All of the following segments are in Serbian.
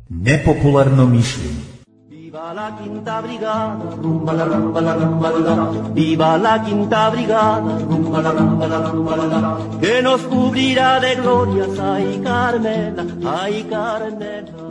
Nepopularno mišljenje. Viva la quinta brigada, rumba la rumba la rumba la. Viva la quinta brigada, rumba la rumba la rumba la. Que nos cubrirá de glorias, ay Carmela, ay Carmela.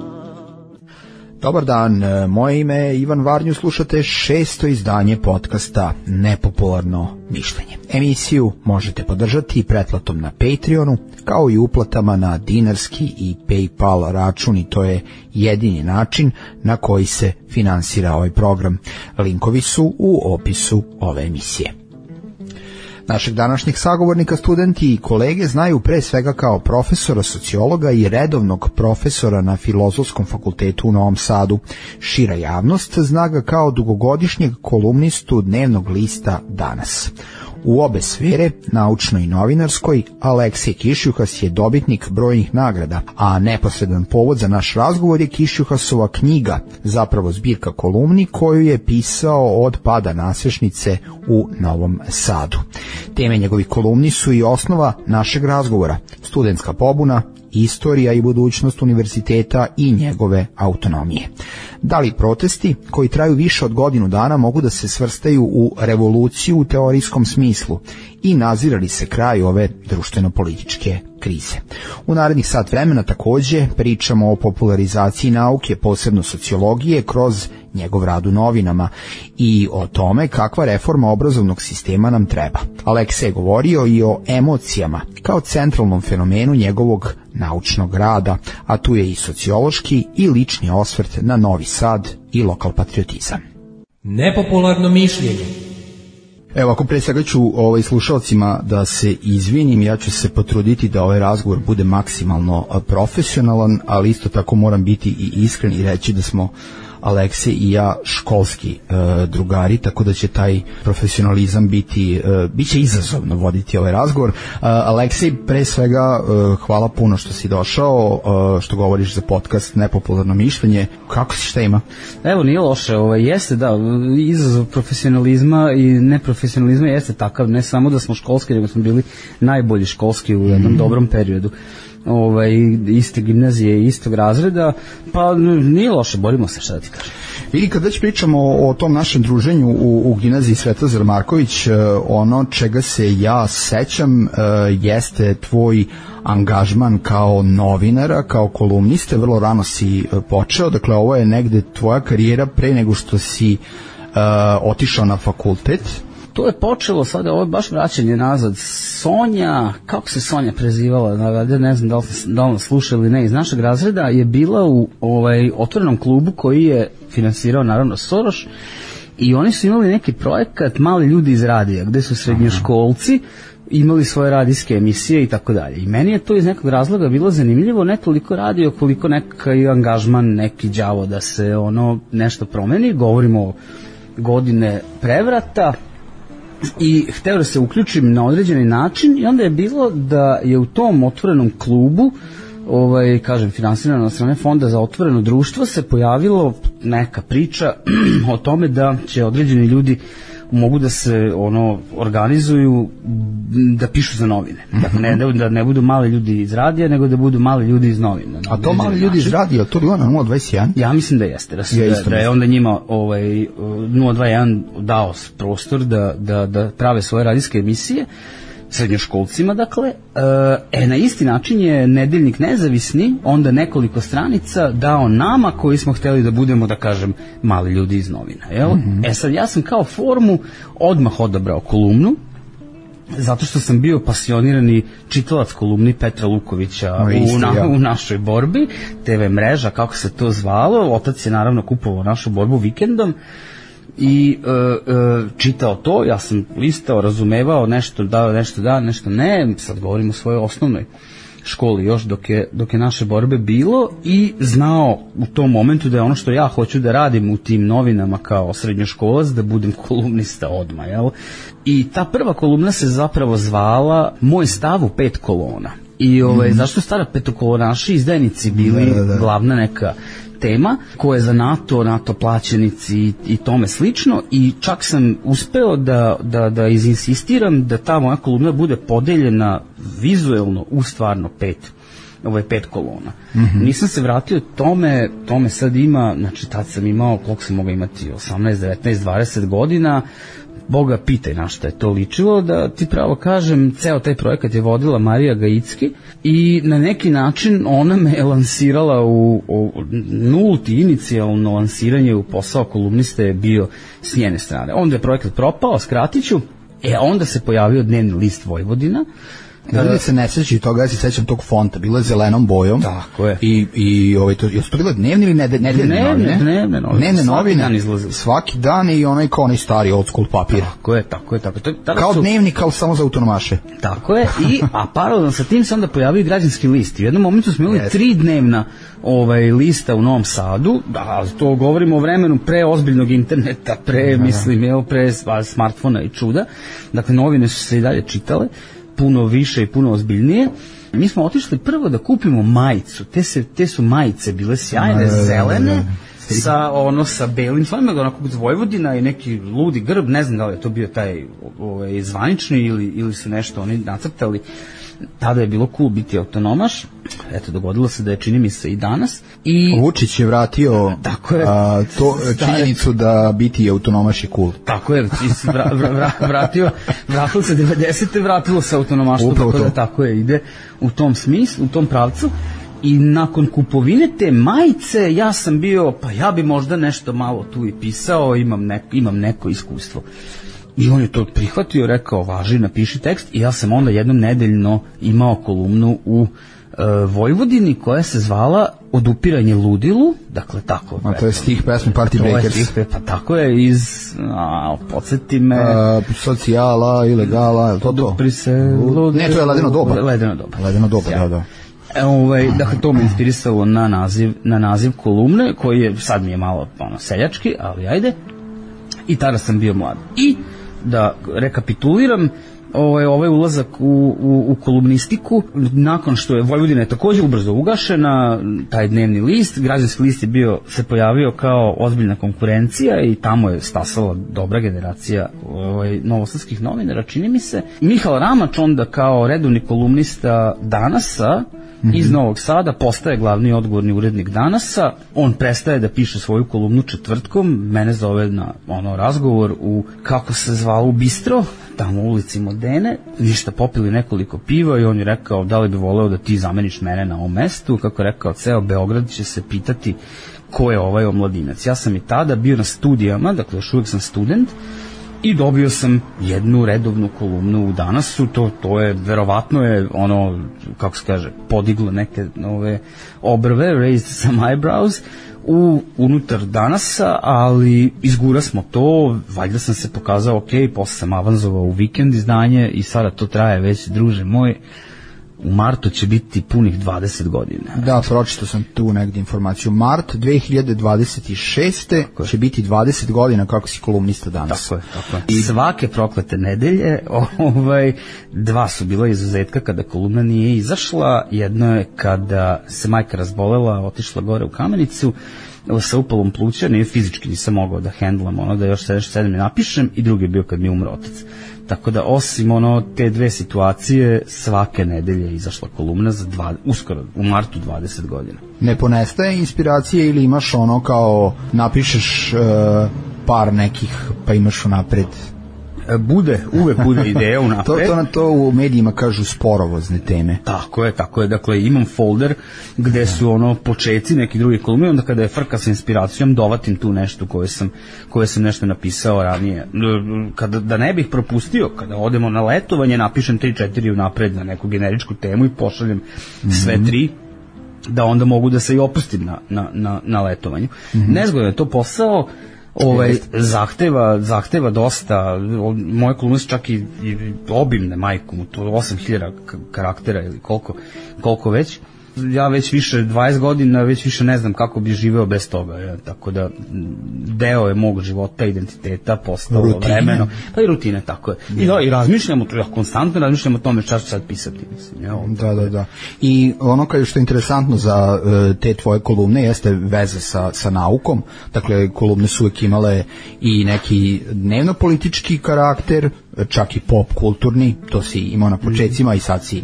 Dobar dan, moje ime je Ivan Varnju, slušate 6. izdanje podcasta Nepopularno mišljenje. Emisiju možete podržati pretplatom na Patreonu, kao i uplatama na dinarski i PayPal račun, i to je jedini način na koji se finansira ovaj program. Linkovi su u opisu ove emisije. Našeg današnjeg sagovornika studenti i kolege znaju pre svega kao profesora sociologa i redovnog profesora na Filozofskom fakultetu u Novom Sadu. Šira javnost zna ga kao dugogodišnjeg kolumnistu dnevnog lista Danas. U obe sfere, naučnoj i novinarskoj, Aleksej Kišjuhas je dobitnik brojnih nagrada, a neposredan povod za naš razgovor je Kišjuhasova knjiga, zapravo zbirka kolumni koju je pisao od pada nasešnice u Novom Sadu. Teme njegovih kolumni su i osnova našeg razgovora: studentska pobuna, istorija i budućnost univerziteta i njegove autonomije. Da li protesti, koji traju više od godinu dana, mogu da se svrstaju u revoluciju u teorijskom smislu i nazira li se kraj ove društveno-političke krize? U narednih sat vremena takođe pričamo o popularizaciji nauke, posebno sociologije, kroz njegov rad u novinama i o tome kakva reforma obrazovnog sistema nam treba. Aleksej je govorio i o emocijama kao centralnom fenomenu njegovog naučnog rada, a tu je i sociološki i lični osvrt na Novi Sad i lokal patriotizam. Nepopularno mišljenje. Evo, ako pre svega ću slušalcima da se izvinim, ja ću se potruditi da ovaj razgovor bude maksimalno profesionalan, ali isto tako moram biti i iskren i reći da smo Aleksej i ja školski drugari, tako da će taj profesionalizam biće izazovno voditi ovaj razgovor. Aleksej, pre svega hvala puno što si došao, što govoriš za podcast Nepopularno mišljenje. Kako si, šta ima? Evo, nije loše, jeste da, izazov profesionalizma i neprofesionalizma jeste takav, ne samo da smo školski, nego smo bili najbolji školski u jednom dobrom periodu. Iste gimnazije, istog razreda, pa nije loše, borimo se, šta da ti kažem. Vidi, kad već pričamo o tom našem druženju u gimnaziji Svetozar Marković, ono čega se ja sećam jeste tvoj angažman kao novinara, kao kolumniste. Vrlo rano si počeo, dakle ovo je negde tvoja karijera pre nego što si otišao na fakultet. To je počelo sada, ovo je baš vraćanje nazad. Sonja, kako se Sonja prezivala, ne znam da li nas sluša ili ne, iz našeg razreda je bila u otvorenom klubu koji je finansirao naravno Soros, i oni su imali neki projekat Mali ljudi iz radija, gde su srednjoškolci imali svoje radijske emisije i tako dalje. I meni je to iz nekog razloga bilo zanimljivo, ne toliko radio koliko neki angažman, neki đavo da se nešto promeni. Govorimo o godine prevrata, i hteo da se uključim na određeni način, i onda je bilo da je u tom otvorenom klubu, kažem, finansirano od strane Fonda za otvoreno društvo, se pojavilo neka priča o tome da će određeni ljudi mogu da se organizuju da pišu za novine. Dakle, da ne budu mali ljudi iz radija, nego da budu mali ljudi iz novina. A to mali ljudi iz radija, to bilo na 021? Ja mislim da jeste. Da je onda njima 021 dao prostor da prave svoje radijske emisije srednjoškolcima, dakle. Na isti način je Nedeljnik Nezavisni onda nekoliko stranica dao nama koji smo hteli da budemo, da kažem, mali ljudi iz novina. Sad ja sam kao formu odmah odabrao kolumnu, zato što sam bio pasionirani čitalac kolumni Petra Lukovića u našoj borbi, TV mreža, kako se to zvalo. Otac je naravno kupovao našu borbu vikendom i čitao to, ja sam listao, razumevao, nešto da, nešto ne. Sad govorim o svojoj osnovnoj školi još dok je naše borbe bilo, i znao u tom momentu da je ono što ja hoću da radim u tim novinama kao srednjoškolac, da budem kolumnista odmah, jel? I ta prva kolumna se zapravo zvala Moj stav u 5 kolona. I zašto stara petokolonaši izdajnici bili glavna neka tema koje je za NATO plaćenici i tome slično, i čak sam uspeo da izinsistiram da ta moja kolumna bude podeljena vizuelno u stvarno 5 kolona. Nisam se vratio tome sad ima, znači tad sam imao, koliko sam mogao imati, 18, 19, 20 godina, Boga pitaj na šta je to ličilo, da ti pravo kažem, ceo taj projekat je vodila Marija Gajicki i na neki način ona me je lansirala u nulti inicijalno lansiranje u posao kolumniste je bio s njene strane. Onda je projekat propao, skratit ću, onda se pojavio Dnevni list Vojvodina. Da se ne sećaju toga, ja se sećam tog fonta, bilo je zelenom bojom. Tako je. I jesu to bile dnevne ili nedeljne novine? Dnevne novine. Svaki dan i onaj stari old school papir. Tako je. Kao dnevnik, ali samo za autonomaše. Tako je, a paralelno sa tim se onda pojavio Građanski list. U jednom momentu smo imali 3 dnevna lista u Novom Sadu, da, to govorimo o vremenu pre ozbiljnog interneta, pre smartfona i čuda. Dakle, novine su se i dalje čitale, puno više i puno ozbiljnije. Mi smo otišli prvo da kupimo majicu. Te su majice bile sjajne, zelene, sa belim slovima, onako od Vojvodina i neki ludi grb, ne znam da li je to bio taj zvanični ili su nešto oni nacrtali. Tada je bilo cool biti autonomaš. Eto, dogodilo se da je, čini mi se, i danas. Vučić je vratio činjenicu da biti autonomaš je cool. Tako je, vratilo se 90. vratilo se autonomaštvo, tako je, ide u tom smislu, u tom pravcu. I nakon kupovine te majice ja sam bio, pa ja bi možda nešto malo tu i pisao, imam neko iskustvo. I on je to prihvatio, rekao, važi, napiši tekst, i ja sam onda jednom nedeljno imao kolumnu u Vojvodini koja se zvala Odupiranje ludilu, dakle tako. A to je stih pesme Party Breakers. Pa tako je, podsjeti me... socijala, ilegala, je to to? Odupri se ludilu... Ne, to je Ledeno doba. Ledeno doba, da. Dakle, to me inspirisalo na naziv kolumne, koji je, sad mi je malo seljački, ali ajde. I tada sam bio mlad. I da rekapituliram ovaj ulazak u kolumnistiku, nakon što je Vojvodina također ubrzo ugašena, taj Dnevni list, Građanski list je se pojavio kao ozbiljna konkurencija i tamo je stasala dobra generacija novosadskih novinara, čini mi se. Mihael Ramač onda kao redovni kolumnista Danasa iz Novog Sada postaje glavni odgovorni urednik Danasa. On prestaje da piše svoju kolumnu četvrtkom, mene zove na razgovor kako se zvalo, u bistro, tamo u ulici Modene, ništa, popili nekoliko piva i on je rekao da li bi voleo da ti zameniš mene na ovom mestu. Kako je rekao, ceo Beograd će se pitati ko je ovaj omladinac. Ja sam i tada bio na studijama, dakle još uvijek sam student, i dobio sam jednu redovnu kolumnu u Danasu. To je, verovatno je kako se kaže, podiglo neke obrve, raised some eyebrows unutar Danasa, ali izgura smo to, valjda sam se pokazao ok, posle sam avanzovao u vikend izdanje i sada to traje već, druže moj, u martu će biti punih 20 godina. Da, pročitao sam tu negdje informaciju. Mart 2026. će biti 20 godina kako si kolumnista danas. Tako je. I svake proklete nedelje, 2 su bila izuzetka kada kolumna nije izašla. Jedno je kada se majka razbolela, otišla gore u Kamenicu sa upalom pluća, fizički nisam mogao da hendlam da još sedem ne napišem, i drugi je bio kad mi umro otac. Tako da osim te dve situacije, svake nedelje je izašla kolumna uskoro u martu 20 godina. Ne ponestaje inspiracije ili imaš kao napišeš par nekih pa imaš unapred? Uvek bude ideja unapred. To u medijima kažu sporovozne teme. Tako je. Dakle, imam folder gde su počeci neki drugi kolumni, onda kada je frka sa inspiracijom dovatim tu nešto koje sam nešto napisao ranije. Da ne bih propustio, kada odemo na letovanje, napišem 3-4 unapred na neku generičku temu i pošaljem sve 3, da onda mogu da se i opustim na letovanju. Nezgodno je to posao. Zahteva dosta, moje kolumne su čak i obimne, majkom, to 8000 karaktera ili koliko već, ja već više 20 godina, već više ne znam kako bi živeo bez toga, ja. Tako da deo je mog života, identiteta, postalo rutine. Vremeno, pa i rutine, tako je. I razmišljamo, ja konstantno razmišljamo o tome šta ću sad pisati, mislim. Ja, Da. I ono što je interesantno za te tvoje kolumne jeste veze sa naukom, dakle kolumne su uvijek imale i neki dnevno-politički karakter, čak i pop kulturni, to si imao na početcima i sad si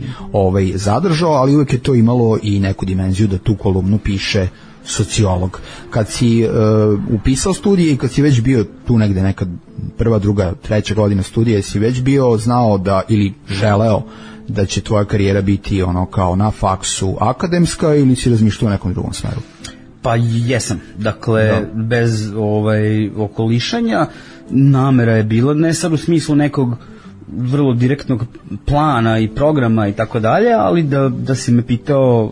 zadržao, ali uvijek je to imalo i neku dimenziju da tu kolumnu piše sociolog. Kad si upisao studije i kad si već bio tu negde neka prva, druga, treća godina studija, si već bio znao da ili želeo da će tvoja karijera biti ono kao na faksu akademska ili si razmišljao u nekom drugom smeru? Pa jesam, dakle bez okolišanja namera je bila, ne sad u smislu nekog vrlo direktnog plana i programa i tako dalje, ali da si me pitao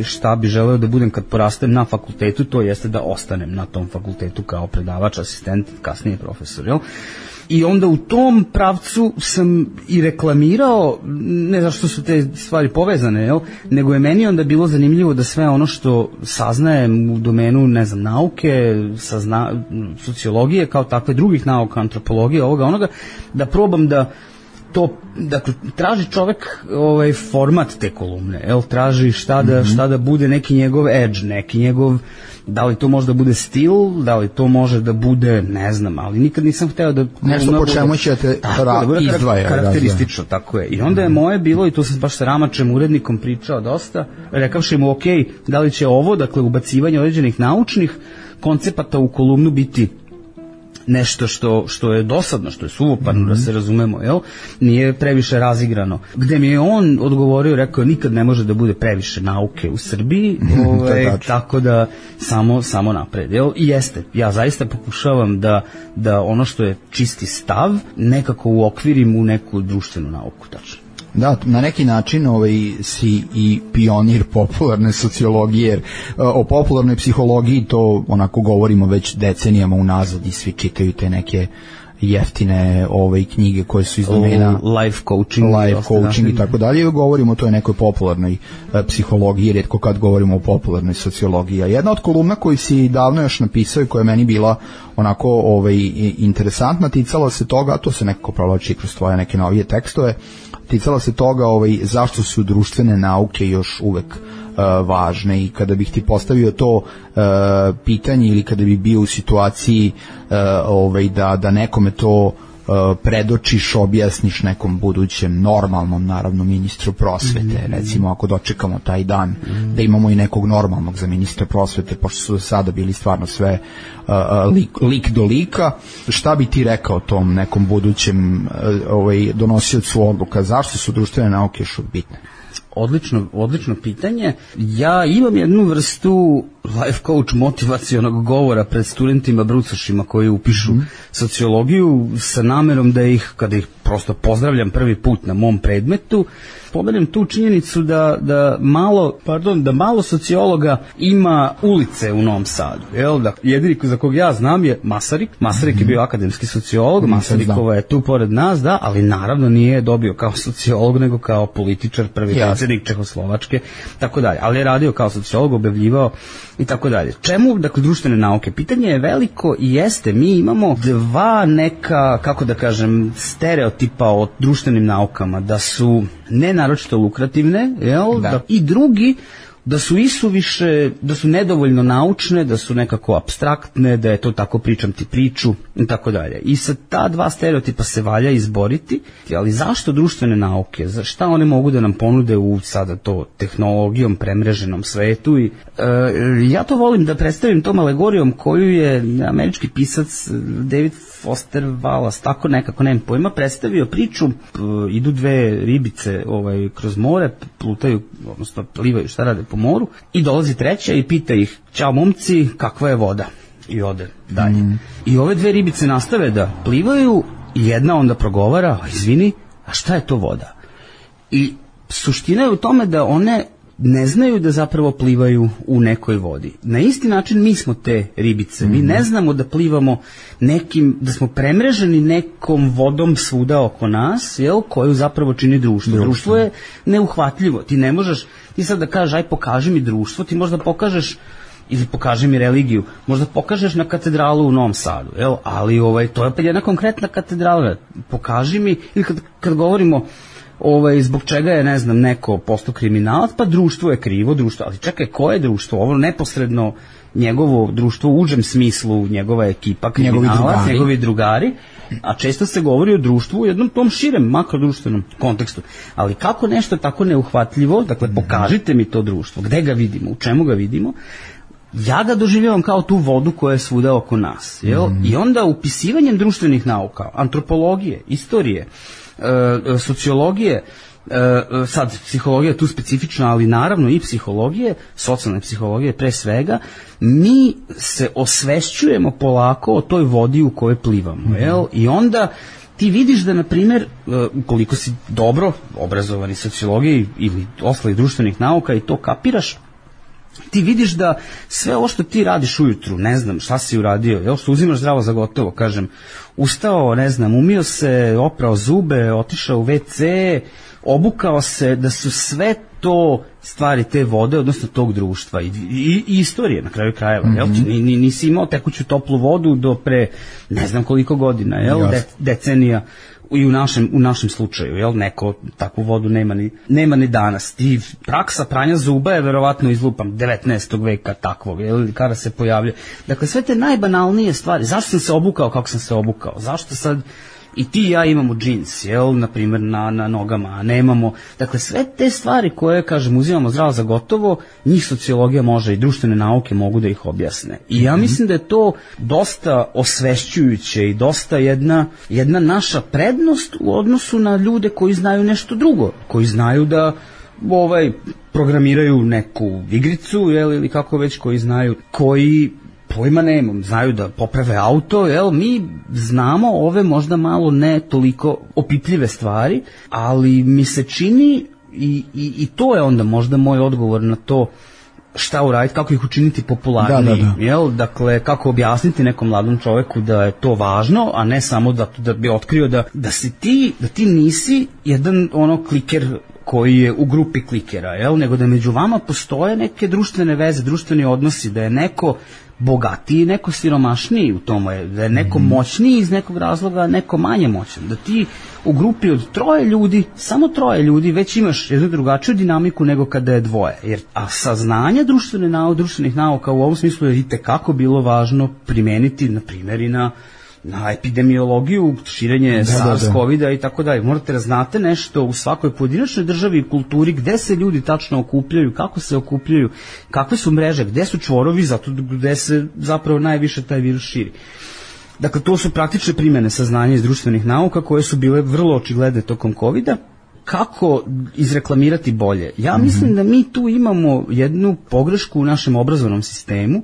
šta bi želeo da budem kad porastem na fakultetu, to jeste da ostanem na tom fakultetu kao predavač, asistent, kasnije profesor, jel? I onda u tom pravcu sam i reklamirao, ne zašto su te stvari povezane, jel? Nego je meni onda bilo zanimljivo da sve ono što saznajem u domenu, ne znam, nauke, sociologije, kao takve drugih nauka, antropologije, ovoga, onoga, da probam da to, dakle, traži čovek format te kolumne, jel? Traži šta da bude neki njegov edge, neki njegov, da li to može da bude stil, da li to može da bude, ne znam, ali nikad nisam hteo da nešto po čemu ćete izdvaja karakteristično, tako je. I onda je moje bilo, i tu sam baš sa Ramačem, urednikom, pričao dosta, rekavši mu, ok, da li će ovo, dakle, ubacivanje određenih naučnih koncepata u kolumnu biti nešto što je dosadno, što je suvoparno, da se razumemo, jel? Nije previše razigrano. Gde mi je on odgovorio, rekao, nikad ne može da bude previše nauke u Srbiji, tako da samo napred, jel? I jeste, ja zaista pokušavam da ono što je čisti stav nekako uokvirim u neku društvenu nauku, tačno. Da, na neki način si i pionir popularne sociologije, jer o popularnoj psihologiji to onako govorimo već decenijama unazad i svi čitaju te neke jeftine knjige koje su iz domena life coaching i tako dalje. Govorimo o toj nekoj popularnoj psihologiji, rijetko kad govorimo o popularnoj sociologiji. A jedna od kolumna koju si davno još napisao i koja je meni bila onako interesantna, ticala se toga, to se nekako provlači kroz tvoje neke novije tekstove, ticala se toga zašto su društvene nauke još uvek važne, i kada bih ti postavio to pitanje ili kada bi bio u situaciji da nekome to predočiš, objasniš nekom budućem normalnom, naravno, ministru prosvete, recimo ako dočekamo taj dan da imamo i nekog normalnog za ministra prosvete, pošto su do sada bili stvarno sve lik do lika, šta bi ti rekao tom nekom budućem donosiocu odluka, zašto su društvene nauke još bitne? Odlično pitanje. Ja imam jednu vrstu life coach motivacionog govora pred studentima brucošima koji upišu sociologiju sa namerom da ih, kada ih prosto pozdravljam prvi put na mom predmetu, pomenem tu činjenicu da malo sociologa ima ulice u Novom Sadu. Jedini za kog ja znam je Masarik. Masarik je bio akademski sociolog, Masarikova je tu pored nas, da, ali naravno nije dobio kao sociolog, nego kao političar, prvi predsjednik Čehoslovačke, tako dalje. Ali je radio kao sociolog, objavljivao i tako dalje. Čemu, dakle, društvene nauke? Pitanje je veliko i jeste, mi imamo dva neka, kako da kažem, stereotipa o društvenim naukama, da su ne naročito lukrativne, jel? Da. I drugi, da su isuviše, da su nedovoljno naučne, da su nekako apstraktne, da je to tako pričam ti priču i tako dalje. I sa ta dva stereotipa se valja izboriti, ali zašto društvene nauke? Šta one mogu da nam ponude u sada to tehnologijom premreženom svetu? I ja to volim da predstavim tom alegorijom koju je američki pisac David Foster Wallace, tako nekako, nemam pojma, predstavio priču, idu dve ribice kroz more, plutaju, odnosno plivaju, šta rade po moru, i dolazi treća i pita ih, ćao momci, kakva je voda? I ode dalje. I ove dve ribice nastave da plivaju i jedna onda progovara, izvini, a šta je to voda? I suština je u tome da one ne znaju da zapravo plivaju u nekoj vodi. Na isti način mi smo te ribice. Mi ne znamo da plivamo nekim, da smo premreženi nekom vodom svuda oko nas, koju zapravo čini društvo. Društvo je neuhvatljivo. Ti ne možeš, ti sad da kažeš, aj pokaži mi društvo, ti možda pokažeš ili pokaži mi religiju, možda pokažeš na katedralu u Novom Sadu, ali to je opet jedna konkretna katedrala. Pokaži mi, ili kad govorimo zbog čega je, ne znam, neko postao kriminalac, pa društvo je krivo, društvo, ali čekaj, koje je društvo? Ovo neposredno njegovo društvo u užem smislu, njegova ekipa kriminalac, njegovi drugari, a često se govori o društvu u jednom tom širem makrodruštvenom kontekstu. Ali kako nešto tako neuhvatljivo, dakle pokažite mi to društvo, gde ga vidimo, u čemu ga vidimo, ja ga doživljavam kao tu vodu koja je svuda oko nas. I onda upisivanjem društvenih nauka, antropologije, istorije, sociologije, sad psihologija je tu specifična, ali naravno i psihologije, socijalne psihologije pre svega, mi se osvešćujemo polako o toj vodi u kojoj plivamo. I onda ti vidiš da, na primjer, ukoliko si dobro obrazovani sociologiji ili ostalih društvenih nauka i to kapiraš, ti vidiš da sve ovo što ti radiš ujutru, ne znam šta si uradio, što uzimaš zdravo za gotovo, kažem, ustao, ne znam, umio se, oprao zube, otišao u WC, obukao se, da su sve to stvari te vode, odnosno tog društva i istorije na kraju krajeva. Nisi imao tekuću toplu vodu do pre ne znam koliko godina, decenija. I u našem slučaju, neko takvu vodu nema ni danas. I praksa pranja zuba je verovatno izlupam 19. veka takvog, kada se pojavlja. Dakle, sve te najbanalnije stvari, zašto sam se obukao kako sam se obukao, zašto sad i ti i ja imamo džins, na primjer na nogama, a nemamo, dakle sve te stvari koje, kažem, uzimamo zdravo za gotovo, njih sociologija može i društvene nauke mogu da ih objasne. I ja mislim da je to dosta osvešćujuće i dosta jedna naša prednost u odnosu na ljude koji znaju nešto drugo, koji znaju da programiraju neku igricu, ili kako već, koji pojma nemam, znaju da poprave auto, mi znamo ove možda malo ne toliko opipljive stvari, ali mi se čini i to je onda možda moj odgovor na to šta uraditi, kako ih učiniti popularniji, dakle, kako objasniti nekom mladom čoveku da je to važno, a ne samo da bi otkrio da ti nisi jedan kliker koji je u grupi klikera, nego da među vama postoje neke društvene veze, društveni odnosi, da je neko bogatiji, neko siromašniji u tome, da je neko moćniji iz nekog razloga, neko manje moćan, da ti u grupi od 3 ljudi, samo 3 ljudi, već imaš jednu drugačiju dinamiku nego kada je 2, a saznanje društvenih nauka u ovom smislu je itekako bilo važno primeniti, na primjer, i na epidemiologiju, širenje SARS-CoV-a i tako dalje. Morate da znate nešto u svakoj pojedinačnoj državi i kulturi, gde se ljudi tačno okupljaju, kako se okupljaju, kakve su mreže, gde su čvorovi, zato gde se zapravo najviše taj virus širi. Dakle, to su praktične primjene saznanja iz društvenih nauka koje su bile vrlo očigledne tokom COVID-a. Kako izreklamirati bolje? Ja mislim da mi tu imamo jednu pogrešku u našem obrazovnom sistemu,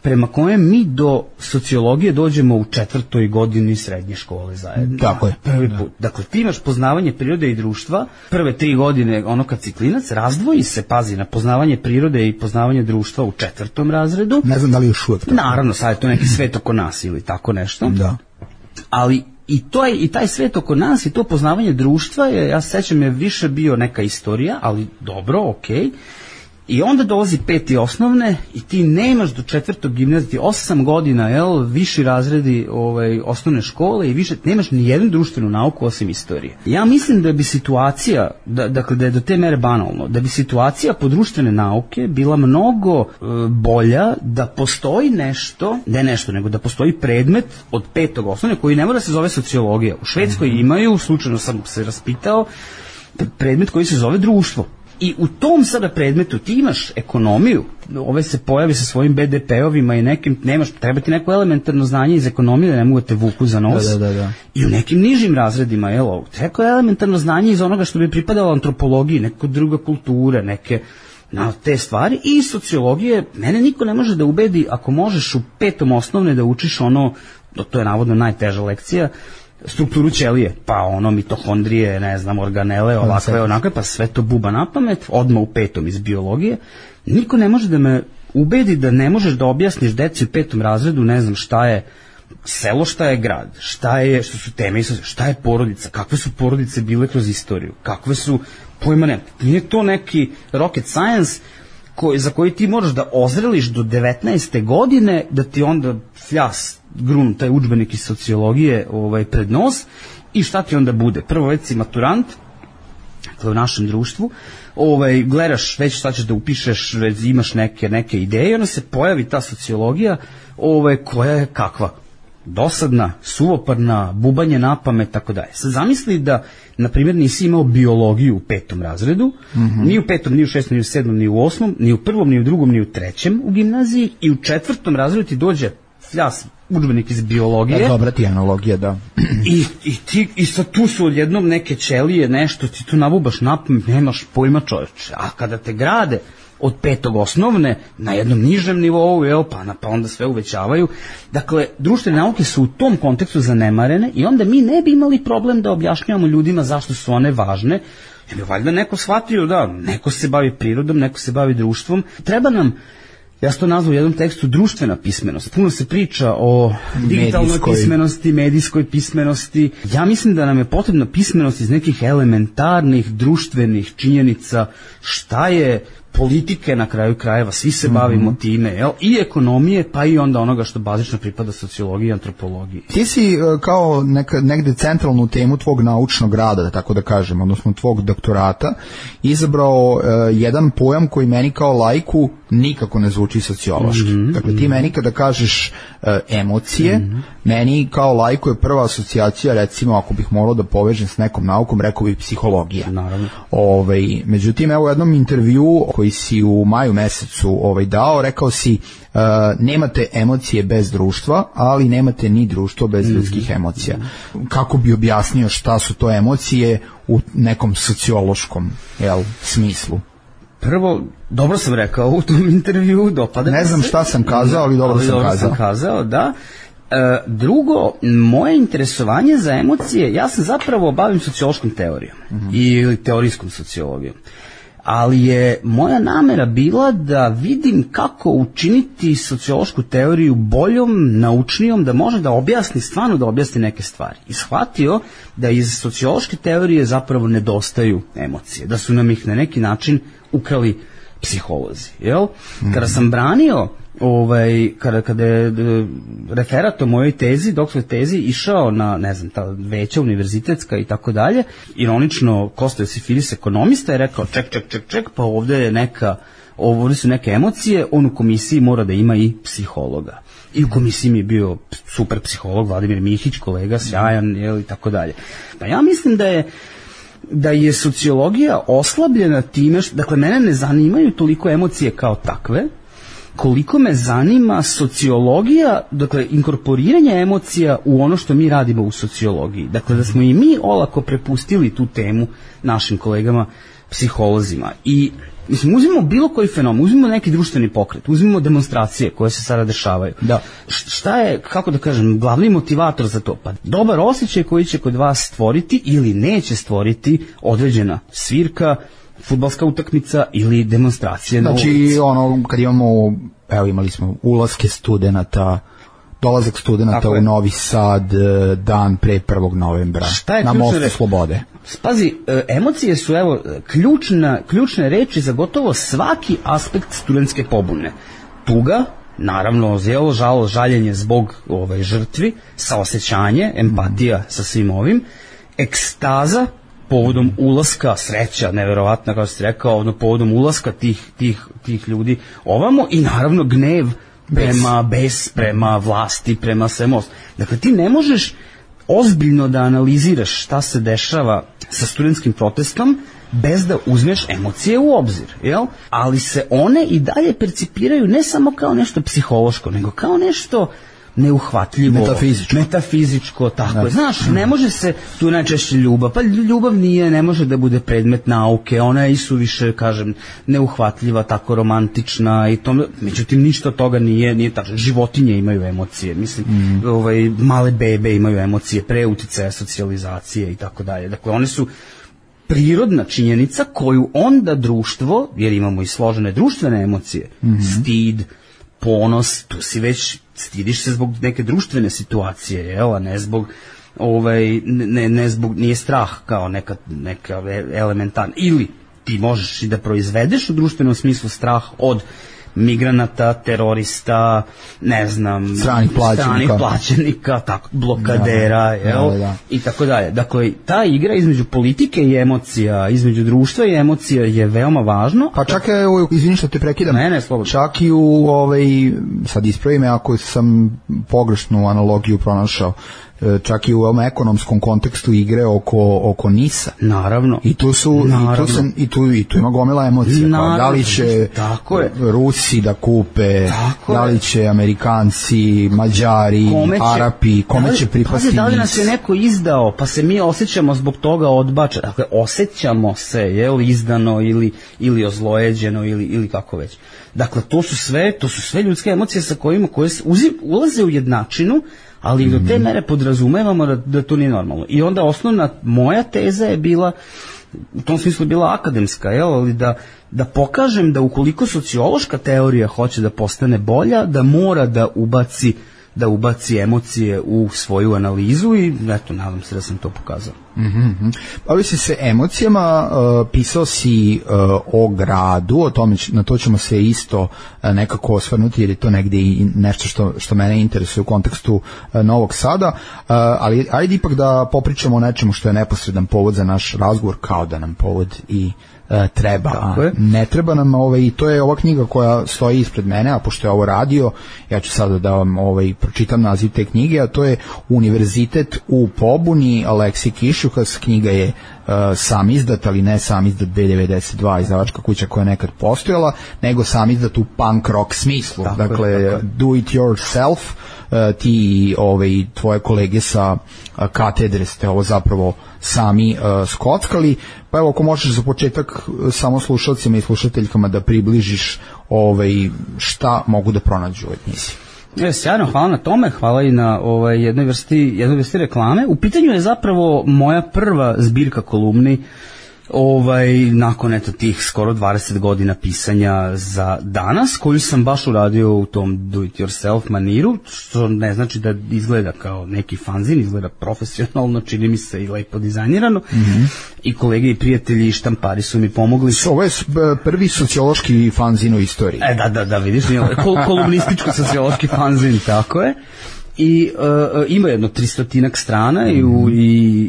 prema kojem mi do sociologije dođemo u 4. godini srednje škole zajedno. Tako je. Prvi put. Dakle, ti imaš poznavanje prirode i društva, prve 3 godine, kad si klinac, razdvoji se, pazi, na poznavanje prirode i poznavanje društva u 4. razredu. Ne znam da li još uvek. Naravno, sad je to neki svet oko nas ili tako nešto. Da. Ali i taj svet oko nas i to poznavanje društva je, ja se sećam, je više bio neka istorija, ali dobro, okej. I onda dolazi 5. osnovne i ti nemaš do 4. gimnazije, 8 godina, viši razredi osnovne škole i više, nemaš ni jednu društvenu nauku osim istorije. Ja mislim da bi situacija, dakle da je do te mere banalno, da bi situacija po društvene nauke bila mnogo bolja da postoji nego da postoji predmet od 5. osnovne koji ne mora se zove sociologija. U Švedskoj imaju, slučajno sam se raspitao, predmet koji se zove društvo. I u tom sada predmetu ti imaš ekonomiju, se pojavi sa svojim BDP-ovima i nekim, treba ti neko elementarno znanje iz ekonomije da ne mogu te vuku za nos. Da. I u nekim nižim razredima, treba elementarno znanje iz onoga što bi pripadalo antropologiji, neka druga kultura, neke te stvari i sociologije. Mene niko ne može da ubedi, ako možeš u 5. osnovne da učiš to je navodno najteža lekcija, strukturu ćelije, pa ono mitohondrije, ne znam, organele, ovakve, onakve, pa sve to buba na pamet, odmah u 5. iz biologije. Niko ne može da me ubedi da ne možeš da objasniš deci u 5. razredu, ne znam šta je selo, šta je grad, što su teme, šta je porodica, kakve su porodice bile kroz istoriju, kakve su, pojma ne, nije to neki rocket science za koji ti moraš da ozreliš do 19. godine, da ti onda fljas grun taj udžbenik iz sociologije pred nos i šta ti onda bude? Prvo već si maturant, dakle u našem društvu, gledaš već šta ćeš da upišeš, već imaš neke ideje i onda se pojavi ta sociologija koja je kakva? Dosadna, suvoparna, bubanje na pamet, tako dalje. Sad zamisli da, na primjer, nisi imao biologiju u 5. razredu, ni u 5., ni u 6., ni u 7., ni u 8., ni u 1., ni u 2., ni u 3. u gimnaziji i u 4. razredu ti dođe fljas udžbenik iz biologije. Dobra ti analogija, da. I sad tu su odjednom neke ćelije, nešto, ti tu nabubaš na pamet, nemaš pojma, čoveče. A kada te grade od 5. osnovne na jednom nižem nivou, pa onda sve uvećavaju. Dakle, društvene nauke su u tom kontekstu zanemarene i onda mi ne bi imali problem da objašnjavamo ljudima zašto su one važne. Jer bi valjda neko shvatio da neko se bavi prirodom, neko se bavi društvom. Treba nam, ja sam to nazvao u jednom tekstu, društvena pismenost. Puno se priča o digitalnoj pismenosti, medijskoj pismenosti. Ja mislim da nam je potrebna pismenost iz nekih elementarnih društvenih činjenica, šta je politike na kraju krajeva, svi se bavimo time, i ekonomije, pa i onda onoga što bazično pripada sociologiji i antropologiji. Ti si kao negde centralnu temu tvog naučnog rada, da tako da kažem, odnosno tvog doktorata, izabrao jedan pojam koji meni kao laiku nikako ne zvuči sociološki. Dakle, ti meni kada kažeš emocije, meni kao laiku je prva asocijacija, recimo, ako bih morao da povežem s nekom naukom, rekao bih psihologija. Naravno. Međutim, evo u jednom intervjuu koji si u maju mesecu dao, rekao si nemate emocije bez društva, ali nemate ni društvo bez ljudskih emocija. Kako bi objasnio šta su to emocije u nekom sociološkom smislu? Prvo, dobro sam rekao u tom intervjuu, dopada. Ne znam šta sam kazao, ali dobro sam kazao, da. Drugo, moje interesovanje za emocije, ja sam zapravo bavim sociološkom teorijom ili teorijskom sociologijom. Ali je moja namera bila da vidim kako učiniti sociološku teoriju boljom, naučnijom, da može da objasni, stvarno da objasni neke stvari. I shvatio da iz sociološke teorije zapravo nedostaju emocije, da su nam ih na neki način ukrali psiholozi. Kada sam branio kada je referat o mojoj tezi, doktorskoj tezi, išao na, ne znam, ta veća univerzitetska i tako dalje, ironično Kosta Josifilis, ekonomista, je rekao ček, pa ovdje su neke emocije, on u komisiji mora da ima i psihologa. I u komisiji mi je bio super psiholog, Vladimir Mihić, kolega, sjajan, i tako dalje. Pa ja mislim da je sociologija oslabljena time, dakle, mene ne zanimaju toliko emocije kao takve, koliko me zanima sociologija, dakle, inkorporiranje emocija u ono što mi radimo u sociologiji. Dakle, da smo i mi olako prepustili tu temu našim kolegama psiholozima. I, mislim, uzmimo bilo koji fenomen, uzmimo neki društveni pokret, uzmimo demonstracije koje se sada dešavaju. Da. Šta je, kako da kažem, glavni motivator za to? Pa dobar osjećaj koji će kod vas stvoriti ili neće stvoriti određena svirka, fudbalska utakmica ili demonstracije na ulici. Znači, kad imali smo ulaske studenata, dolazak studenata u Novi Sad dan pre 1. novembra na Mostu Slobode. Pazi, emocije su ključne reči za gotovo svaki aspekt studentske pobune. Tuga, naravno, žalost, žaljenje zbog žrtvi, saosećanje, empatija sa svim ovim, ekstaza, povodom ulaska, sreća, neverovatna, kao ste rekao, povodom ulaska tih ljudi ovamo, i naravno gnev prema vlasti, prema svemu. Dakle, ti ne možeš ozbiljno da analiziraš šta se dešava sa studentskim protestom bez da uzmeš emocije u obzir, ali se one i dalje percipiraju ne samo kao nešto psihološko, nego kao nešto neuhvatljivo, metafizičko, tako je. Znaš, ne može se, tu je najčešće ljubav, pa ljubav ne može da bude predmet nauke, ona je isuviše, kažem, neuhvatljiva, tako romantična i to, međutim ništa od toga nije tačno. Životinje imaju emocije, mislim, male bebe imaju emocije pre uticaja socijalizacije i tako dalje. Dakle, one su prirodna činjenica koju onda društvo, jer imamo i složene društvene emocije, stid, ponos, tu si već stidiš se zbog neke društvene situacije, jel, a ne zbog ne zbog, nije strah kao neka elementarna, ili ti možeš i da proizvedeš u društvenom smislu strah od migranata, terorista, ne znam, stranih plaćenika, tako, blokadera, jel, i tako dalje. Dakle, ta igra između politike i emocija, između društva i emocija je veoma važno. Pa čak je, izvini što te prekidam, čak i u, sad ispravi me ako sam pogrešnu analogiju pronašao, čak i u ovom ekonomskom kontekstu igre oko NIS-a. Naravno. I tu su i tu ima gomila emocija. Da li će Rusi da kupe, da li će Amerikanci, Mađari, Arapi, kome će pripasti NIS? Da li nas je neko izdao, pa se mi osjećamo zbog toga odbačeno. Dakle, osjećamo se, jel, izdano ili ozlojeđeno ili kako već. Dakle, to su sve ljudske emocije sa koje ulaze u jednačinu, ali do te mere podrazumevamo da to nije normalno. I onda osnovna moja teza je bila, u tom smislu bila akademska, ali da pokažem da ukoliko sociološka teorija hoće da postane bolja, da mora da ubaci emocije u svoju analizu i eto, nadam se da sam to pokazao. Bavio si se emocijama, pisao si o gradu, na to ćemo se isto nekako osvrnuti jer je to negdje i nešto što mene interesuje u kontekstu Novog Sada, ali ajde ipak da popričamo o nečemu što je neposredan povod za naš razgovor, kao da nam povod i treba, ne treba nam, i to je ova knjiga koja stoji ispred mene, a pošto je ovo radio, ja ću sada da vam pročitam naziv te knjige, a to je Univerzitet u pobuni, Aleksij Kišuhas. Knjiga je sam izdat, ali ne sam izdat B92, izdavačka kuća koja je nekad postojala, nego sam izdat u punk rock smislu. Dakle, do it yourself, ti i tvoje kolege sa katedre ste ovo zapravo sami skockali. Pa evo, ako možeš za početak samo slušalcima i slušateljkama da približiš šta mogu da pronađu od njih. Sjajno, hvala na tome, hvala i na jednoj vrsti reklame. U pitanju je zapravo moja prva zbirka kolumni nakon tih skoro 20 godina pisanja za danas, koju sam baš uradio u tom do it yourself maniru, što ne znači da izgleda kao neki fanzin, izgleda profesionalno, čini mi se i lepo dizajnirano. I kolege i prijatelji i štampari su mi pomogli. Ovo je prvi sociološki fanzin u istoriji. Da, vidiš, kolumnističko-sociološki fanzin, tako je. I ima jedno 300-ak strana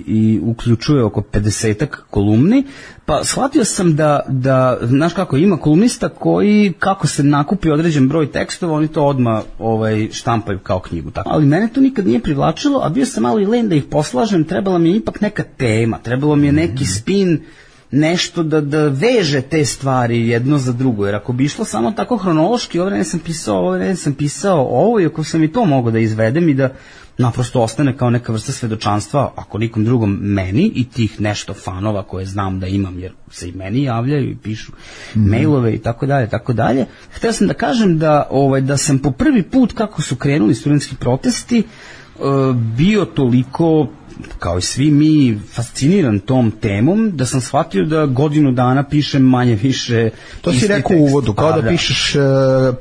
i uključuje oko 50-ak kolumni, pa shvatio sam da znaš kako, ima kolumnista koji kako se nakupi određen broj tekstova, oni to odmah štampaju kao knjigu, tako. Ali mene to nikad nije privlačilo, a bio sam malo i len da ih poslažem, trebala mi je ipak neka tema, trebalo mi je neki spin, nešto da veže te stvari jedno za drugo, jer ako bi išlo samo tako hronološki, ovo sam pisao ovo, i ako sam i to mogao da izvedem i da naprosto ostane kao neka vrsta svedočanstva, ako nikom drugom, meni i tih nešto fanova koje znam da imam, jer se i meni javljaju i pišu mailove i tako dalje. Htio sam da kažem da sam po prvi put, kako su krenuli studentski protesti, bio toliko, kao i svi mi, fasciniran tom temom, da sam shvatio da godinu dana pišem manje više. To si rekao u uvodu, kao da pišeš